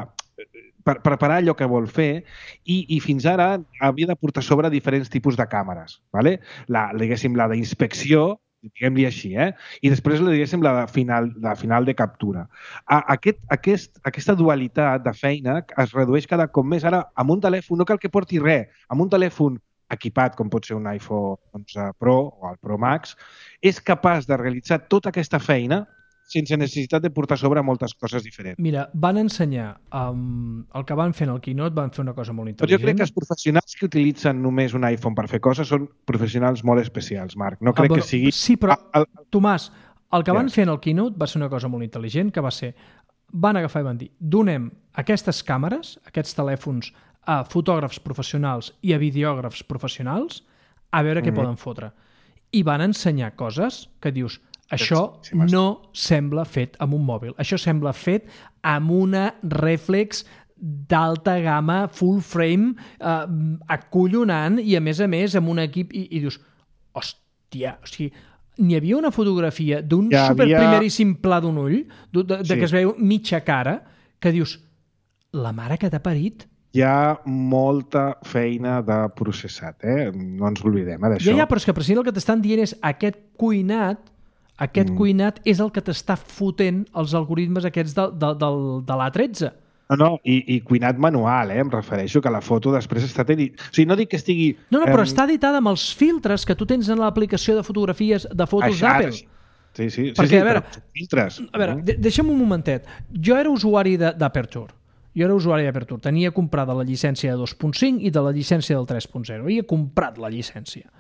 per preparar allò que vol fer i, i fins ara havia de portar sobre diferents tipus de càmeres, ¿vale? La, diguéssim, la d'inspecció, diguem-li així, eh? I després, diguéssim, la de final de, final de captura. A, aquest, aquest, aquesta dualitat de feina es redueix cada cop més. Ara, amb un telèfon, no cal que porti res, amb un telèfon equipat, com pot ser un iPhone onze Pro o el Pro Max, és capaç de realitzar tota aquesta feina sense necessitat de portar sobre moltes coses diferents. Mira, van ensenyar um, el que van fer en el Keynote, van fer una cosa molt intel·ligent. Però jo crec que els professionals que utilitzen només un iPhone per fer coses són professionals molt especials, Marc. No crec ah, bueno, que sigui... Sí, però, el, el... Tomàs, el que yes. van fer en el Keynote va ser una cosa molt intel·ligent, que va ser, van agafar i van dir, donem aquestes càmeres, aquests telèfons, a fotògrafs professionals i a videògrafs professionals, a veure què mm-hmm. poden fotre. I van ensenyar coses que dius... Això no sembla fet amb un mòbil. Això sembla fet amb una reflex d'alta gamma, full frame, eh, acollonant i, a més a més, amb un equip... I, i dius, hòstia, o sigui, n'hi havia una fotografia d'un ja superprimeríssim havia... pla d'un ull, de, de, de sí. que es veu mitja cara, que dius, la mare que t'ha parit... Hi ha molta feina de processat, eh? No ens oblidem eh, d'això. Ja, ja, però és que precisament el que t'estan dient és aquest cuinat Aquest mm. cuinat és el que t'està fotent els algoritmes aquests de, de, de, de l'A tretze. No, no, i, i cuinat manual, eh? Em refereixo que la foto després està editada. O sigui, no dic que estigui... No, no, però eh... està editada amb els filtres que tu tens en l'aplicació de fotografies de fotos d'Apple. Sí, sí, Perquè, sí, sí, a veure, filtres. A veure, de deixa'm un momentet. Jo era usuari d'Aperture. Jo era usuari d'Aperture. Tenia comprada la llicència de dos punt cinc i de la llicència del tres punt zero. Havia comprat la llicència.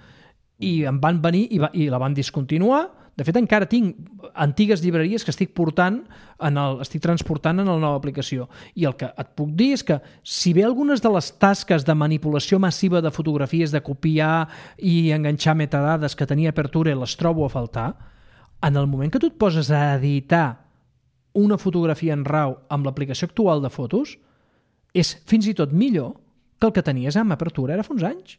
i em van venir i, va, i la van discontinuar. De fet, encara tinc antigues llibreries que estic portant en el, estic transportant en la nova aplicació. I el que et puc dir és que si bé algunes de les tasques de manipulació massiva de fotografies, de copiar i enganxar metadades que tenia Aperture les trobo a faltar, en el moment que tu et poses a editar una fotografia en RAW amb l'aplicació actual de fotos, és fins i tot millor que el que tenies amb Aperture ara fa uns anys.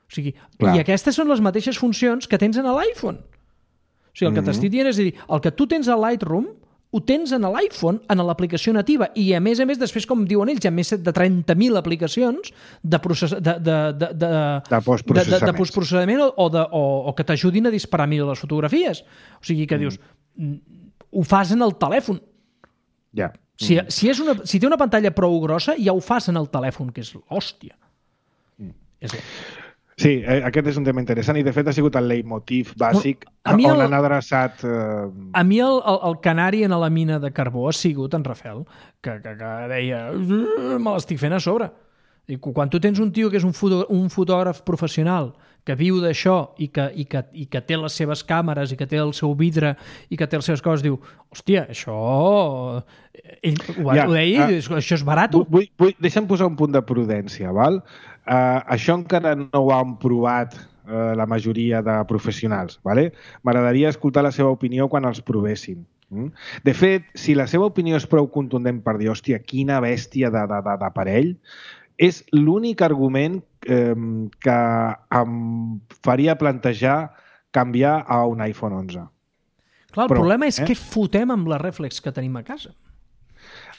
O sigui, i aquestes són les mateixes funcions que tens en l'iPhone. O sigui, el que mm-hmm. t'estic dient és dir, el que tu tens a Lightroom ho tens en l'iPhone, en l'aplicació nativa, i a més a més, després, com diuen ells, hi ha més de trenta mil aplicacions de, process... de, de, de, de, de postprocessament, de, de postprocessament o, o, de, o, o que t'ajudin a disparar millor les fotografies. O sigui, que mm. dius, ho fas en el telèfon. Ja. Yeah. Si, si, és una, si té una pantalla prou grossa, ja ho fas en el telèfon, que és l'hòstia. Mm. És Sí, aquest és un tema interessant i de fet ha sigut el leitmotiv bàsic on el, han adreçat... Eh... A mi el, el, el canari en la mina de carbó ha sigut en Rafael, que, que, que deia me l'estic fent a sobre. I quan tu tens un tio que és un, foto, un fotògraf professional que viu d'això i que, i, que, i que té les seves càmeres i que té el seu vidre i que té les seves coses, diu, hòstia, això... Ell ho, ja, ho deia, uh, això és barat. Vull, vull, deixa'm posar un punt de prudència, val? Uh, això encara no ho han provat uh, la majoria de professionals. Vale? M'agradaria escoltar la seva opinió quan els provessin. Mm? De fet, si la seva opinió és prou contundent per dir, hòstia, quina bèstia d'aparell, és l'únic argument eh, que em faria plantejar canviar a un iPhone onze. Clar, el Però, problema és eh? què fotem amb la reflex que tenim a casa.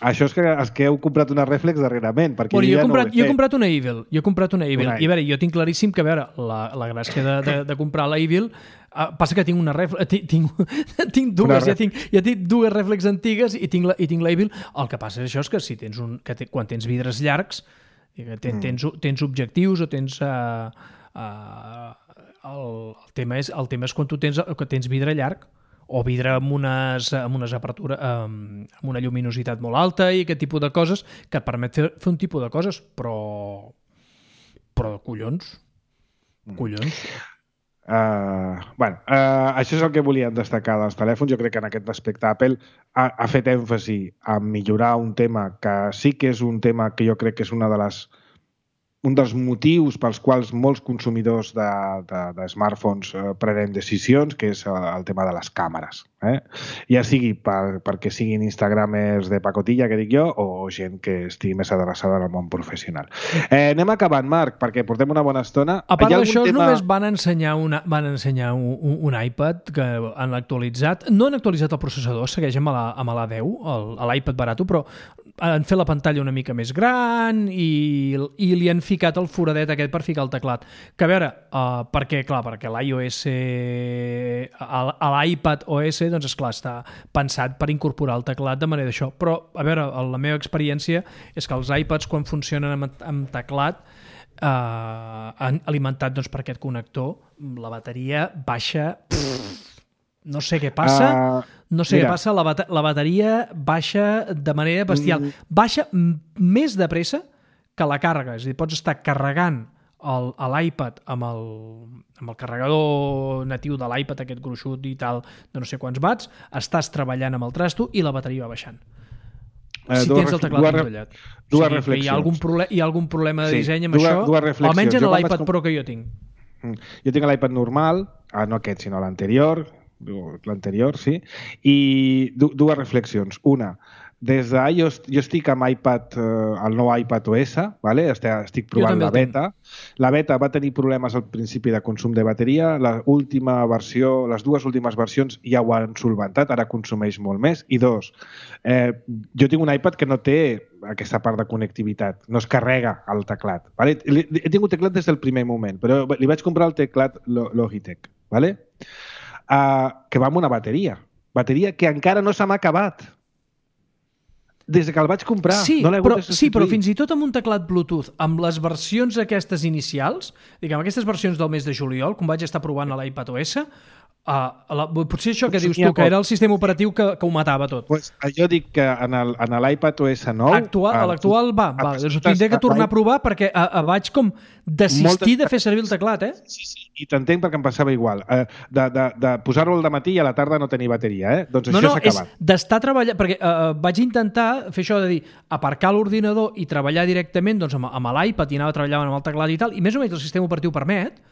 Això és que, és que heu comprat una reflex darrerament. Perquè Bueno, jo, ja he comprat, no jo he comprat una Evil. Jo he comprat una Evil. Una I a veure, jo tinc claríssim que, a veure, la, la gràcia de, de, de comprar la Evil uh, passa que tinc una reflex... Tinc, tinc, tinc dues, ja tinc, ja tinc dues reflex antigues i tinc la, i tinc la Evil. El que passa és això, és que si tens un, que te, quan tens vidres llargs, tens, mm. tens, tens objectius o tens... Uh, uh, el, el, tema és, el tema és quan tu tens, que tens vidre llarg, o vidre amb unes, amb unes apertures, amb, amb una lluminositat molt alta i aquest tipus de coses que et permet fer, fer un tipus de coses, però però collons collons Uh, bueno, uh, això és el que volíem destacar dels telèfons. Jo crec que en aquest aspecte Apple ha, ha fet èmfasi a millorar un tema que sí que és un tema que jo crec que és una de les un dels motius pels quals molts consumidors de, de, de smartphones eh, prenen decisions, que és el tema de les càmeres. Eh? Ja sigui per, perquè siguin instagramers de pacotilla, que dic jo, o gent que estigui més adreçada al món professional. Eh, anem acabant, Marc, perquè portem una bona estona. A part d'això, tema... només van ensenyar, una, van ensenyar un, un, un iPad que han actualitzat. No han actualitzat el processador, segueix amb la, amb la deu, l'iPad barato, però han fet la pantalla una mica més gran i, i li han ficat el foradet aquest per ficar el teclat. Que a veure, uh, perquè, clar, perquè l'iOS, a l'iPad O S, doncs esclar, està pensat per incorporar el teclat de manera d'això. Però, a veure, la meva experiència és que els iPads, quan funcionen amb, amb teclat, uh, alimentat doncs, per aquest connector, la bateria baixa... Pff, no sé què passa, uh, no sé mira. què passa, la, bat la bateria baixa de manera bestial. Mm. Baixa més de pressa que la càrrega. És a dir, pots estar carregant l'iPad amb, el, amb el carregador natiu de l'iPad, aquest gruixut i tal, de no sé quants watts, estàs treballant amb el trasto i la bateria va baixant. Eh, si tens el teclat endollat. Dues o sigui, reflexions. Hi ha algun, hi ha algun problema de sí, disseny amb dues, això, dues almenys en jo l'iPad vaig... Pro que jo tinc. Jo tinc l'iPad normal, ah, no aquest, sinó l'anterior, l'anterior, sí, i dues reflexions. Una, des de jo, jo estic amb iPad, eh, el nou iPad O S, vale? Estic provant la beta. La beta va tenir problemes al principi de consum de bateria, la última versió, les dues últimes versions ja ho han solventat, ara consumeix molt més. I dos, eh, jo tinc un iPad que no té aquesta part de connectivitat, no es carrega el teclat. Vale? He tingut teclat des del primer moment, però li vaig comprar el teclat Logitech, vale? Uh, que va amb una bateria. Bateria que encara no se m'ha acabat. Des que el vaig comprar. Sí, no però, sí, però fins i tot amb un teclat Bluetooth, amb les versions aquestes inicials, diguem, aquestes versions del mes de juliol, com vaig estar provant a l'iPad O S, Uh, la, potser això que dius tu, que era el sistema operatiu que, que ho matava tot. Pues, jo dic que en l'iPad O S nou... Actual, a l'actual va, va. Doncs ho tindré que tornar a provar perquè a, a vaig com desistir de fer servir el teclat, eh? Sí, sí, i t'entenc perquè em passava igual. Uh, de de, de posar-lo al matí i a la tarda no tenir bateria, eh? Doncs no, això no, s'ha acabat. És d'estar treballant... Perquè uh, vaig intentar fer això de dir aparcar l'ordinador i treballar directament doncs, amb, amb l'iPad i anava treballant amb el teclat i tal, i més o menys el sistema operatiu permet,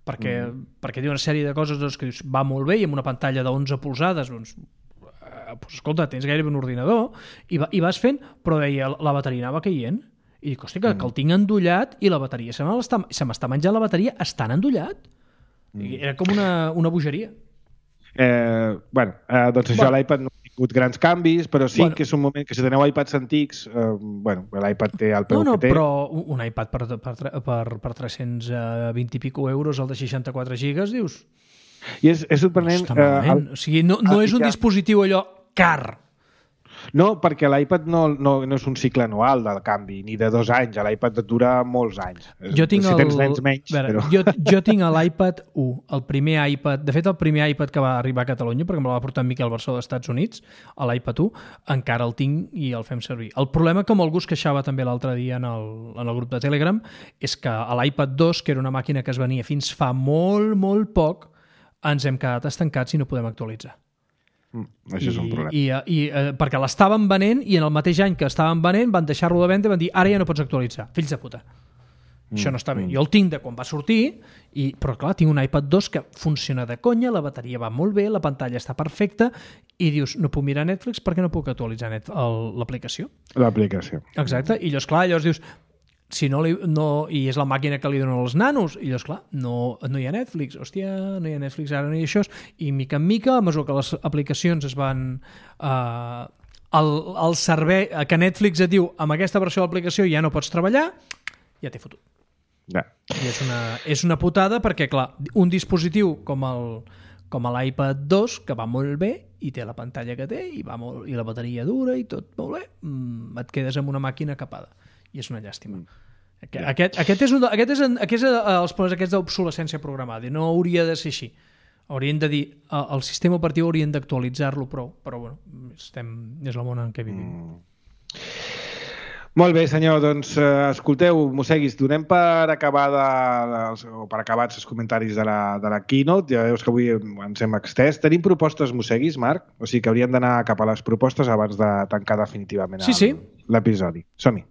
perquè, mm. perquè diu una sèrie de coses doncs, que dius, va molt bé i amb una pantalla d'onze polzades doncs, eh, doncs, escolta, tens gairebé un ordinador i, va, i vas fent, però deia, la bateria anava caient i dic, hosti, que, mm. que el tinc endollat i la bateria se m'està menjant la bateria estan endollat. Mm. Era com una, una bogeria. Eh, bueno, eh, doncs això bueno. l'iPad no ha tingut grans canvis, però sí bueno. que és un moment que si teniu iPads antics, eh, bueno, l'iPad té el peu no, no, que té. Però un iPad per, per, per, per tres-cents vint i pico euros, el de seixanta-quatre gigas, dius... I és, és sorprenent... No, eh, el, o sigui, no, no és un dispositiu allò car. No, perquè l'iPad no, no, no és un cicle anual del canvi, ni de dos anys. L'iPad dura molts anys. Jo tinc si el... tens nens menys, veure, però... jo, jo tinc l'iPad u, el primer iPad... De fet, el primer iPad que va arribar a Catalunya, perquè me la va portar en Miquel Barçó dels Estats Units, l'iPad u, encara el tinc i el fem servir. El problema que algú es queixava també l'altre dia en el, en el grup de Telegram és que a l'iPad dos, que era una màquina que es venia fins fa molt, molt poc, ens hem quedat estancats i no podem actualitzar. Mm, això és un problema. I, i, i, eh, perquè l'estaven venent i en el mateix any que estaven venent van deixar-lo de venda i van dir ara ja no pots actualitzar. Fills de puta. Mm, això no està bé. Mm. Jo el tinc de quan va sortir, i, però clar, tinc un iPad dos que funciona de conya, la bateria va molt bé, la pantalla està perfecta i dius, no puc mirar Netflix perquè no puc actualitzar l'aplicació. L'aplicació. Exacte. I llavors, clar, llavors dius si no, li, no, i és la màquina que li donen els nanos, i llavors, clar, no, no hi ha Netflix, hòstia, no hi ha Netflix ara, no hi ha això, i mica en mica, a mesura que les aplicacions es van... Eh, el, el servei, que Netflix et diu, amb aquesta versió de l'aplicació ja no pots treballar, ja t'he fotut. Ja. I és una, és una putada perquè, clar, un dispositiu com el com l'iPad dos, que va molt bé, i té la pantalla que té, i, va molt, i la bateria dura, i tot molt bé, mmm, et quedes amb una màquina capada. I és una llàstima. Aquest, aquest, aquest és, un, aquest és, aquest és els problemes aquests d'obsolescència programada. No hauria de ser així. Haurien de dir, el sistema operatiu haurien d'actualitzar-lo prou, però bueno, estem, és el món en què vivim. Mm. Molt bé, senyor, doncs eh, escolteu, Mosseguis, donem per acabar de, o per acabats els comentaris de la, de la keynote. Ja veus que avui ens hem extès. Tenim propostes, Mosseguis, Marc? O sigui que hauríem d'anar cap a les propostes abans de tancar definitivament sí, sí. l'episodi. Som-hi.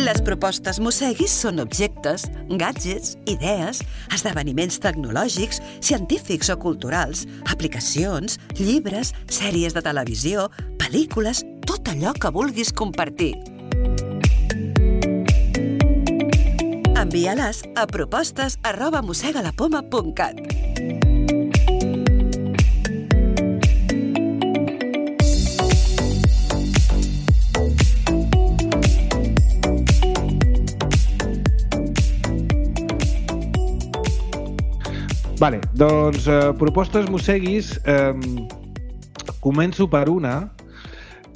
Les propostes Mosseguis són objectes, gadgets, idees, esdeveniments tecnològics, científics o culturals, aplicacions, llibres, sèries de televisió, pel·lícules, tot allò que vulguis compartir. Envia-les a propostes arroba mossegalapoma punt cat. Vale, doncs eh, propostes Mosseguis, eh, començo per una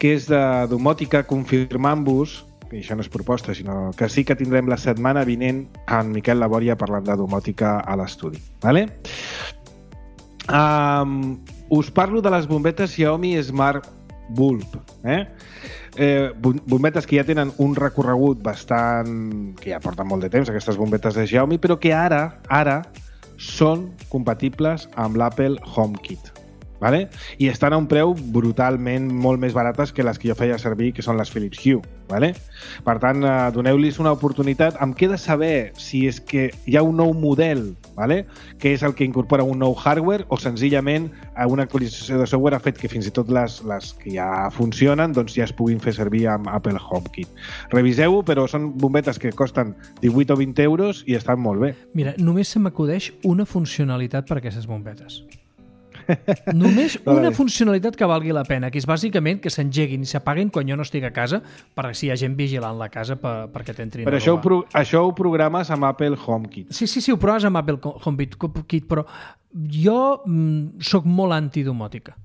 que és de domòtica, confirmant-vos, i això no és proposta, sinó que sí que tindrem la setmana vinent en Miquel Labòria parlant de domòtica a l'estudi. Vale? Um, us parlo de les bombetes Xiaomi Smart Bulb. Eh? Eh, bombetes que ja tenen un recorregut bastant... que ja porten molt de temps, aquestes bombetes de Xiaomi, però que ara, ara, són compatibles amb l'Apple HomeKit. Vale? I estan a un preu brutalment molt més barates que les que jo feia servir, que són les Philips Hue. Vale? Per tant, eh, doneu-los una oportunitat. Em queda saber si és que hi ha un nou model, vale? Que és el que incorpora un nou hardware, o senzillament una actualització de software ha fet que fins i tot les, les que ja funcionen doncs ja es puguin fer servir amb Apple HomeKit. Reviseu-ho, però són bombetes que costen divuit o vint euros i estan molt bé. Mira, només se m'acudeix una funcionalitat per a aquestes bombetes. Només una funcionalitat que valgui la pena, que és bàsicament que s'engeguin i s'apaguen quan jo no estic a casa, perquè si hi ha gent vigilant la casa per, perquè t'entrin a robar. Però això ho, pro, això ho programes amb Apple HomeKit. Sí, sí, sí, ho proves amb Apple HomeKit, però jo mm, soc molt antidomòtica.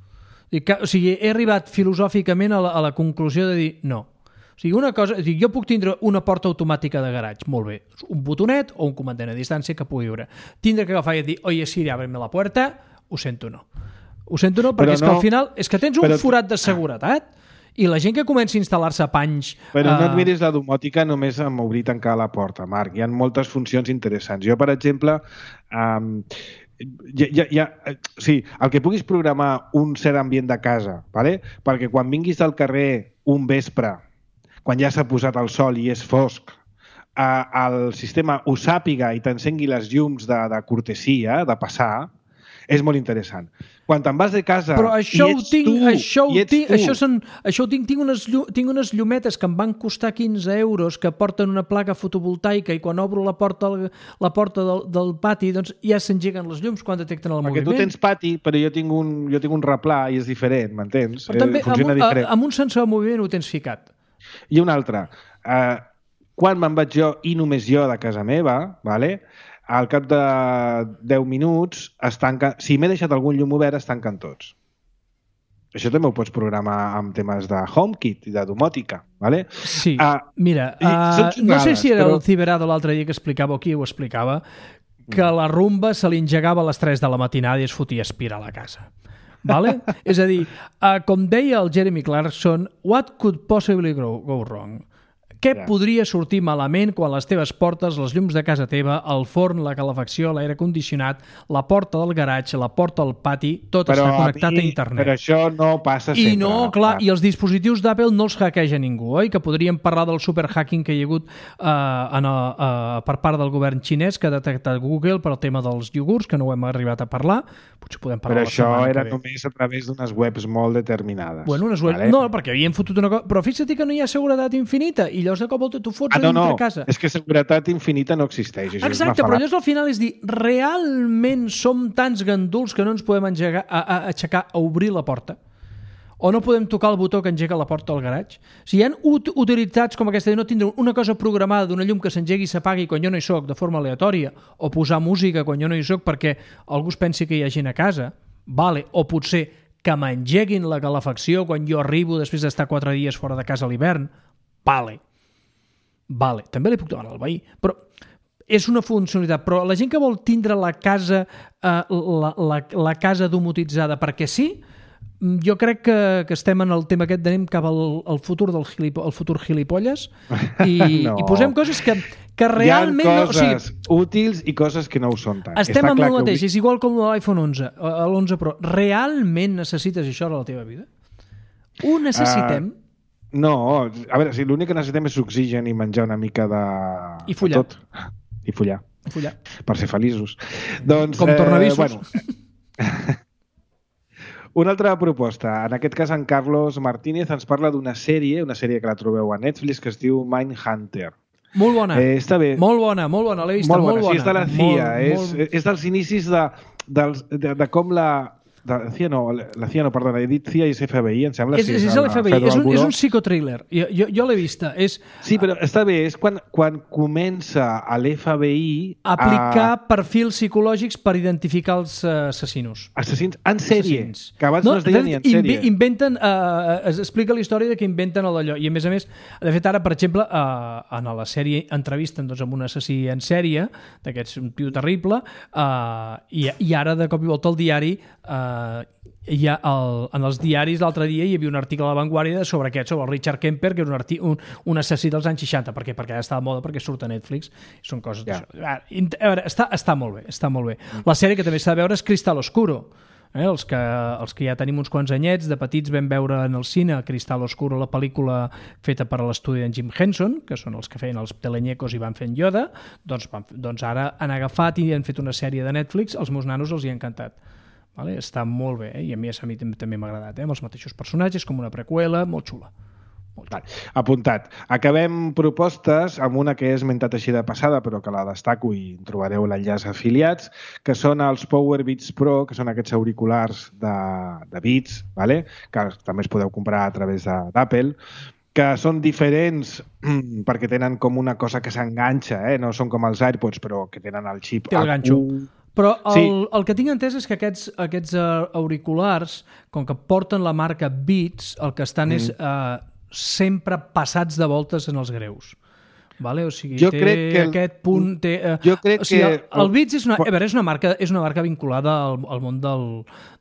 O sigui, he arribat filosòficament a la, a la conclusió de dir no. O sigui, una cosa, o sigui, jo puc tindre una porta automàtica de garatge, molt bé, un botonet o un comandant a distància que pugui veure. Tindre que agafar i dir, oye Siri, ábreme la puerta, ho sento no. Ho sento no, perquè però és no, que al final és que tens un però... forat de seguretat i la gent que comença a instal·lar-se panys... Però uh... no et miris la domòtica només amb obrir i tancar la porta, Marc. Hi ha moltes funcions interessants. Jo, per exemple, um, ja, ja, ja, sí, el que puguis programar un cert ambient de casa, ¿vale? Perquè quan vinguis del carrer un vespre, quan ja s'ha posat el sol i és fosc, eh, el sistema ho sàpiga i t'encengui les llums de, de cortesia, de passar, és molt interessant. Quan te'n vas de casa però això i ets tinc, tu, això i ets tinc, tu... Això, són, això ho tinc, tinc, unes, tinc unes llumetes que em van costar quinze euros que porten una placa fotovoltaica i quan obro la porta, la porta del, del pati doncs ja s'engeguen les llums quan detecten el Perquè moviment. Perquè tu tens pati, però jo tinc un, jo tinc un replà i és diferent, m'entens? Però també eh, funciona amb un, diferent. amb un sensor de moviment ho tens ficat. I una altra. Eh, quan me'n vaig jo i només jo de casa meva, vale? Al cap de deu minuts, es tanca... si m'he deixat algun llum obert, es tanquen tots. Això també ho pots programar amb temes de HomeKit i de domòtica, ¿vale? Sí, uh, mira, uh, no sé si era però... el Ciberado l'altre dia que explicava o qui ho explicava, que la rumba se li engegava a les tres de la matinada i es fotia aspirar a la casa. Vale? És a dir, uh, com deia el Jeremy Clarkson, what could possibly go, go wrong? Què yeah. podria sortir malament quan les teves portes, les llums de casa teva, el forn, la calefacció, l'aire condicionat, la porta del garatge, la porta del pati, tot però està connectat a, mi, a internet. Però això no passa sempre. I no, clar, i els dispositius d'Apple no els hackeja ningú, oi? Que podríem parlar del superhacking que hi ha hagut uh, en, uh, per part del govern xinès que ha detectat Google per al tema dels iogurts, que no ho hem arribat a parlar. Potser podem parlar però això era només a través d'unes webs molt determinades. Bueno, unes webs... Vale? No, perquè havien fotut una cosa... Però fixa't que no hi ha seguretat infinita i llavors de cop volta tu fots ah, no, a dintre no. casa. És que seguretat infinita no existeix. Això exacte, però llavors al final és dir, realment som tants ganduls que no ens podem engegar, a, a, aixecar a obrir la porta? O no podem tocar el botó que engega la porta del garatge? O sigui, hi ha ut utilitats com aquesta de no tindre una cosa programada d'una llum que s'engegui i s'apagui quan jo no hi soc de forma aleatòria, o posar música quan jo no hi soc perquè algú es pensi que hi ha gent a casa, vale. O potser que m'engeguin la calefacció quan jo arribo després d'estar quatre dies fora de casa a l'hivern, vale. Vale, també li puc demanar al veí, però és una funcionalitat. Però la gent que vol tindre la casa eh, la, la, la casa domotitzada perquè sí, jo crec que, que estem en el tema aquest d'anem cap al, al futur del gilipo, el futur gilipolles i, no. i posem coses que, que realment... Hi ha coses no, o sigui, útils i coses que no ho són tant. Estem amb el mateix, és igual com l'iPhone onze, l'onze Pro. Realment necessites això a la teva vida? Ho necessitem? Uh... No, a veure, si l'únic que necessitem és oxigen i menjar una mica de... I follar. De tot. I follar. I follar. Per ser feliços. Doncs, com tornavisos. Eh, bueno. Una altra proposta. En aquest cas, en Carlos Martínez ens parla d'una sèrie, una sèrie que la trobeu a Netflix, que es diu Mindhunter. Molt bona. Eh, està bé. Molt bona, molt bona. L'he vista, molt bona. Molt bona. Sí, és de la C I A. Molt, és, molt... és dels inicis de, dels, de, de com la... De, la C I A no, la C I A no, perdona, he dit C I A i F B I, em sembla. És, és, és l'F B I, és un, és un psicotriller. Jo, jo, jo l'he vista. És... Sí, però està bé, és quan, quan comença a l'F B I... Aplicar a... perfils psicològics per identificar els uh, assassinos. Assassins en sèrie, assassins. Que abans no, no es deia ni en sèrie. Inventen, uh, es explica la història de que inventen d'allò. I a més a més, de fet ara, per exemple, uh, en la sèrie entrevisten doncs, amb un assassí en sèrie, d'aquests, un tio terrible, uh, i, i ara de cop i volta el diari... Uh, hi ha el, en els diaris l'altre dia hi havia un article a La Vanguardia sobre aquest, sobre el Richard Kemper, que és un, arti, un, un assassí dels anys seixanta. Per què? Perquè ara està de moda, perquè surt a Netflix. Són coses yeah. d'això. A veure, està, està molt bé, està molt bé. Mm. La sèrie que també s'ha de veure és Cristal Oscuro. Eh? Els, que, els que ja tenim uns quants anyets, de petits vam veure en el cine Cristal Oscuro, la pel·lícula feta per l'estudi d'en Jim Henson, que són els que feien els telenyecos i van fent Yoda, doncs, van, doncs ara han agafat i han fet una sèrie de Netflix, els meus nanos els hi ha encantat. Vale? Està molt bé, eh? I a mi, a mi també m'ha agradat, eh? Amb els mateixos personatges, com una preqüela, molt xula. Molt xula. Apuntat. Acabem propostes amb una que he esmentat així de passada, però que la destaco i trobareu l'enllaç afiliats, que són els Power Beats Pro, que són aquests auriculars de, de Beats, vale? Que també es podeu comprar a través d'Apple, que són diferents perquè tenen com una cosa que s'enganxa, eh? No són com els AirPods, però que tenen el xip. Té el ganxo. Però el, sí. el que tinc entès és que aquests, aquests auriculars, com que porten la marca Beats, el que estan mm. és... Uh, sempre passats de voltes en els greus. Vale? O sigui, jo té crec que el, aquest punt... Té, eh, jo crec o sigui, que... El, el Beats és una, a veure, és una, marca, és una marca vinculada al, al món del,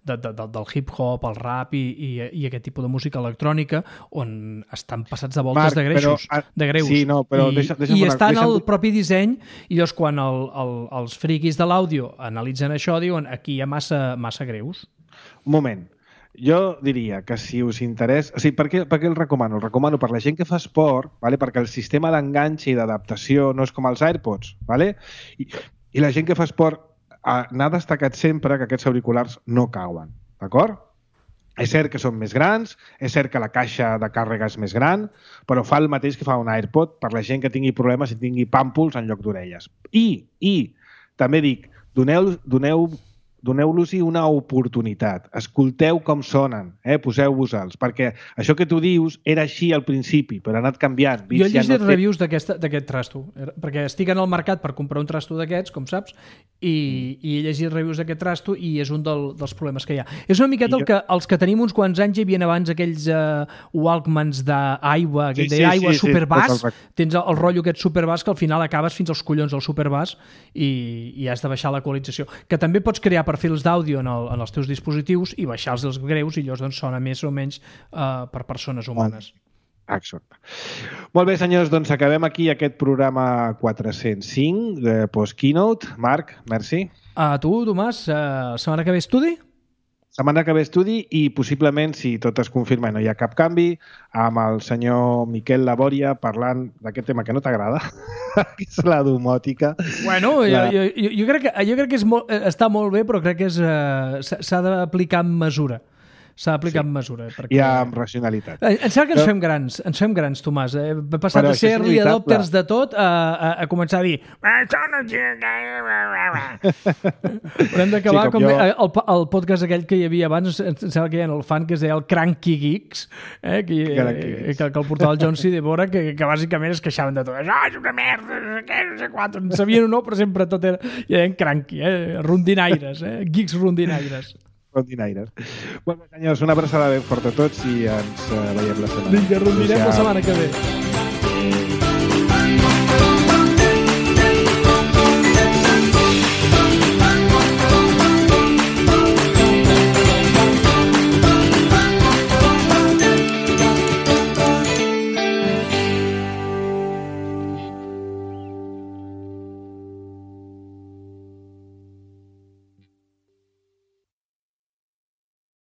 de, de, de, del hip-hop, el rap i, i, i aquest tipus de música electrònica on estan passats de voltes Marc, de greixos. Però, de greus. Sí, no, però I, deixa, deixa i una, està en el deixa... propi disseny i llavors quan el, el, els friquis de l'àudio analitzen això diuen aquí hi ha massa, massa greus. Un moment. Jo diria que si us interessa... O sigui, per què, per què el recomano? El recomano per la gent que fa esport, vale? Perquè el sistema d'enganx i d'adaptació no és com els AirPods, vale? I, i la gent que fa esport n'ha destacat sempre que aquests auriculars no cauen, d'acord? És cert que són més grans, és cert que la caixa de càrrega és més gran, però fa el mateix que fa un AirPod per la gent que tingui problemes i tingui pàmpols en lloc d'orelles. I, i també dic, doneu, doneu doneu-los-hi una oportunitat. Escolteu com sonen, eh? Poseu-vos-els, perquè això que tu dius era així al principi, però ha anat canviant. Jo he llegit ja no reviews té... d'aquest trasto, perquè estic en el mercat per comprar un trasto d'aquests, com saps, i, i he llegit reviews d'aquest trasto i és un del, dels problemes que hi ha. És una miqueta el que, els que tenim uns quants anys hi havia abans aquells uh, Walkmans d'aigua, aquell sí, sí, d'aigua sí, superbass, sí, tens el, el rotllo aquest superbass que al final acabes fins als collons del superbass i, i has de baixar l'equalització, que també pots crear perfils d'àudio en, el, en els teus dispositius i baixar-los els greus i llavors doncs, sona més o menys uh, per persones humanes. Exacte. Molt bé, senyors, doncs acabem aquí aquest programa quatre-cents cinc de Post-Keynote. Marc, merci. A tu, Tomàs, uh, setmana que ve estudi? Setmana que ve estudi i possiblement, si tot es confirma i no hi ha cap canvi, amb el senyor Miquel Labòria parlant d'aquest tema que no t'agrada, que és la domòtica. Bueno, la... jo, jo, jo crec que, jo crec que és molt, està molt bé, però crec que és, uh, s'ha d'aplicar amb mesura. S'ha d'aplicar sí. amb mesura. Perquè... I amb racionalitat. Em sembla que ens fem grans, ens fem grans, Tomàs. Eh? Hem passat de ser early adopters de tot a, a, a començar a dir haurem d'acabar sí, com, com jo... el, el podcast aquell que hi havia abans, em sembla que hi ha el fan que es deia el Cranky Geeks, eh? que, que, que el portava el John C. de Bora, que, que bàsicament es queixaven de tot. Això és una merda, no sé què, no sé quant. En sabien o no, però sempre tot era, hi havia cranky, eh? Rondinaires, eh? Geeks rondinaires. Rondinaires. Bueno, senyors, una abraçada ben forta a tots i ens uh, veiem la setmana. Vinga, rondirem la setmana que ve.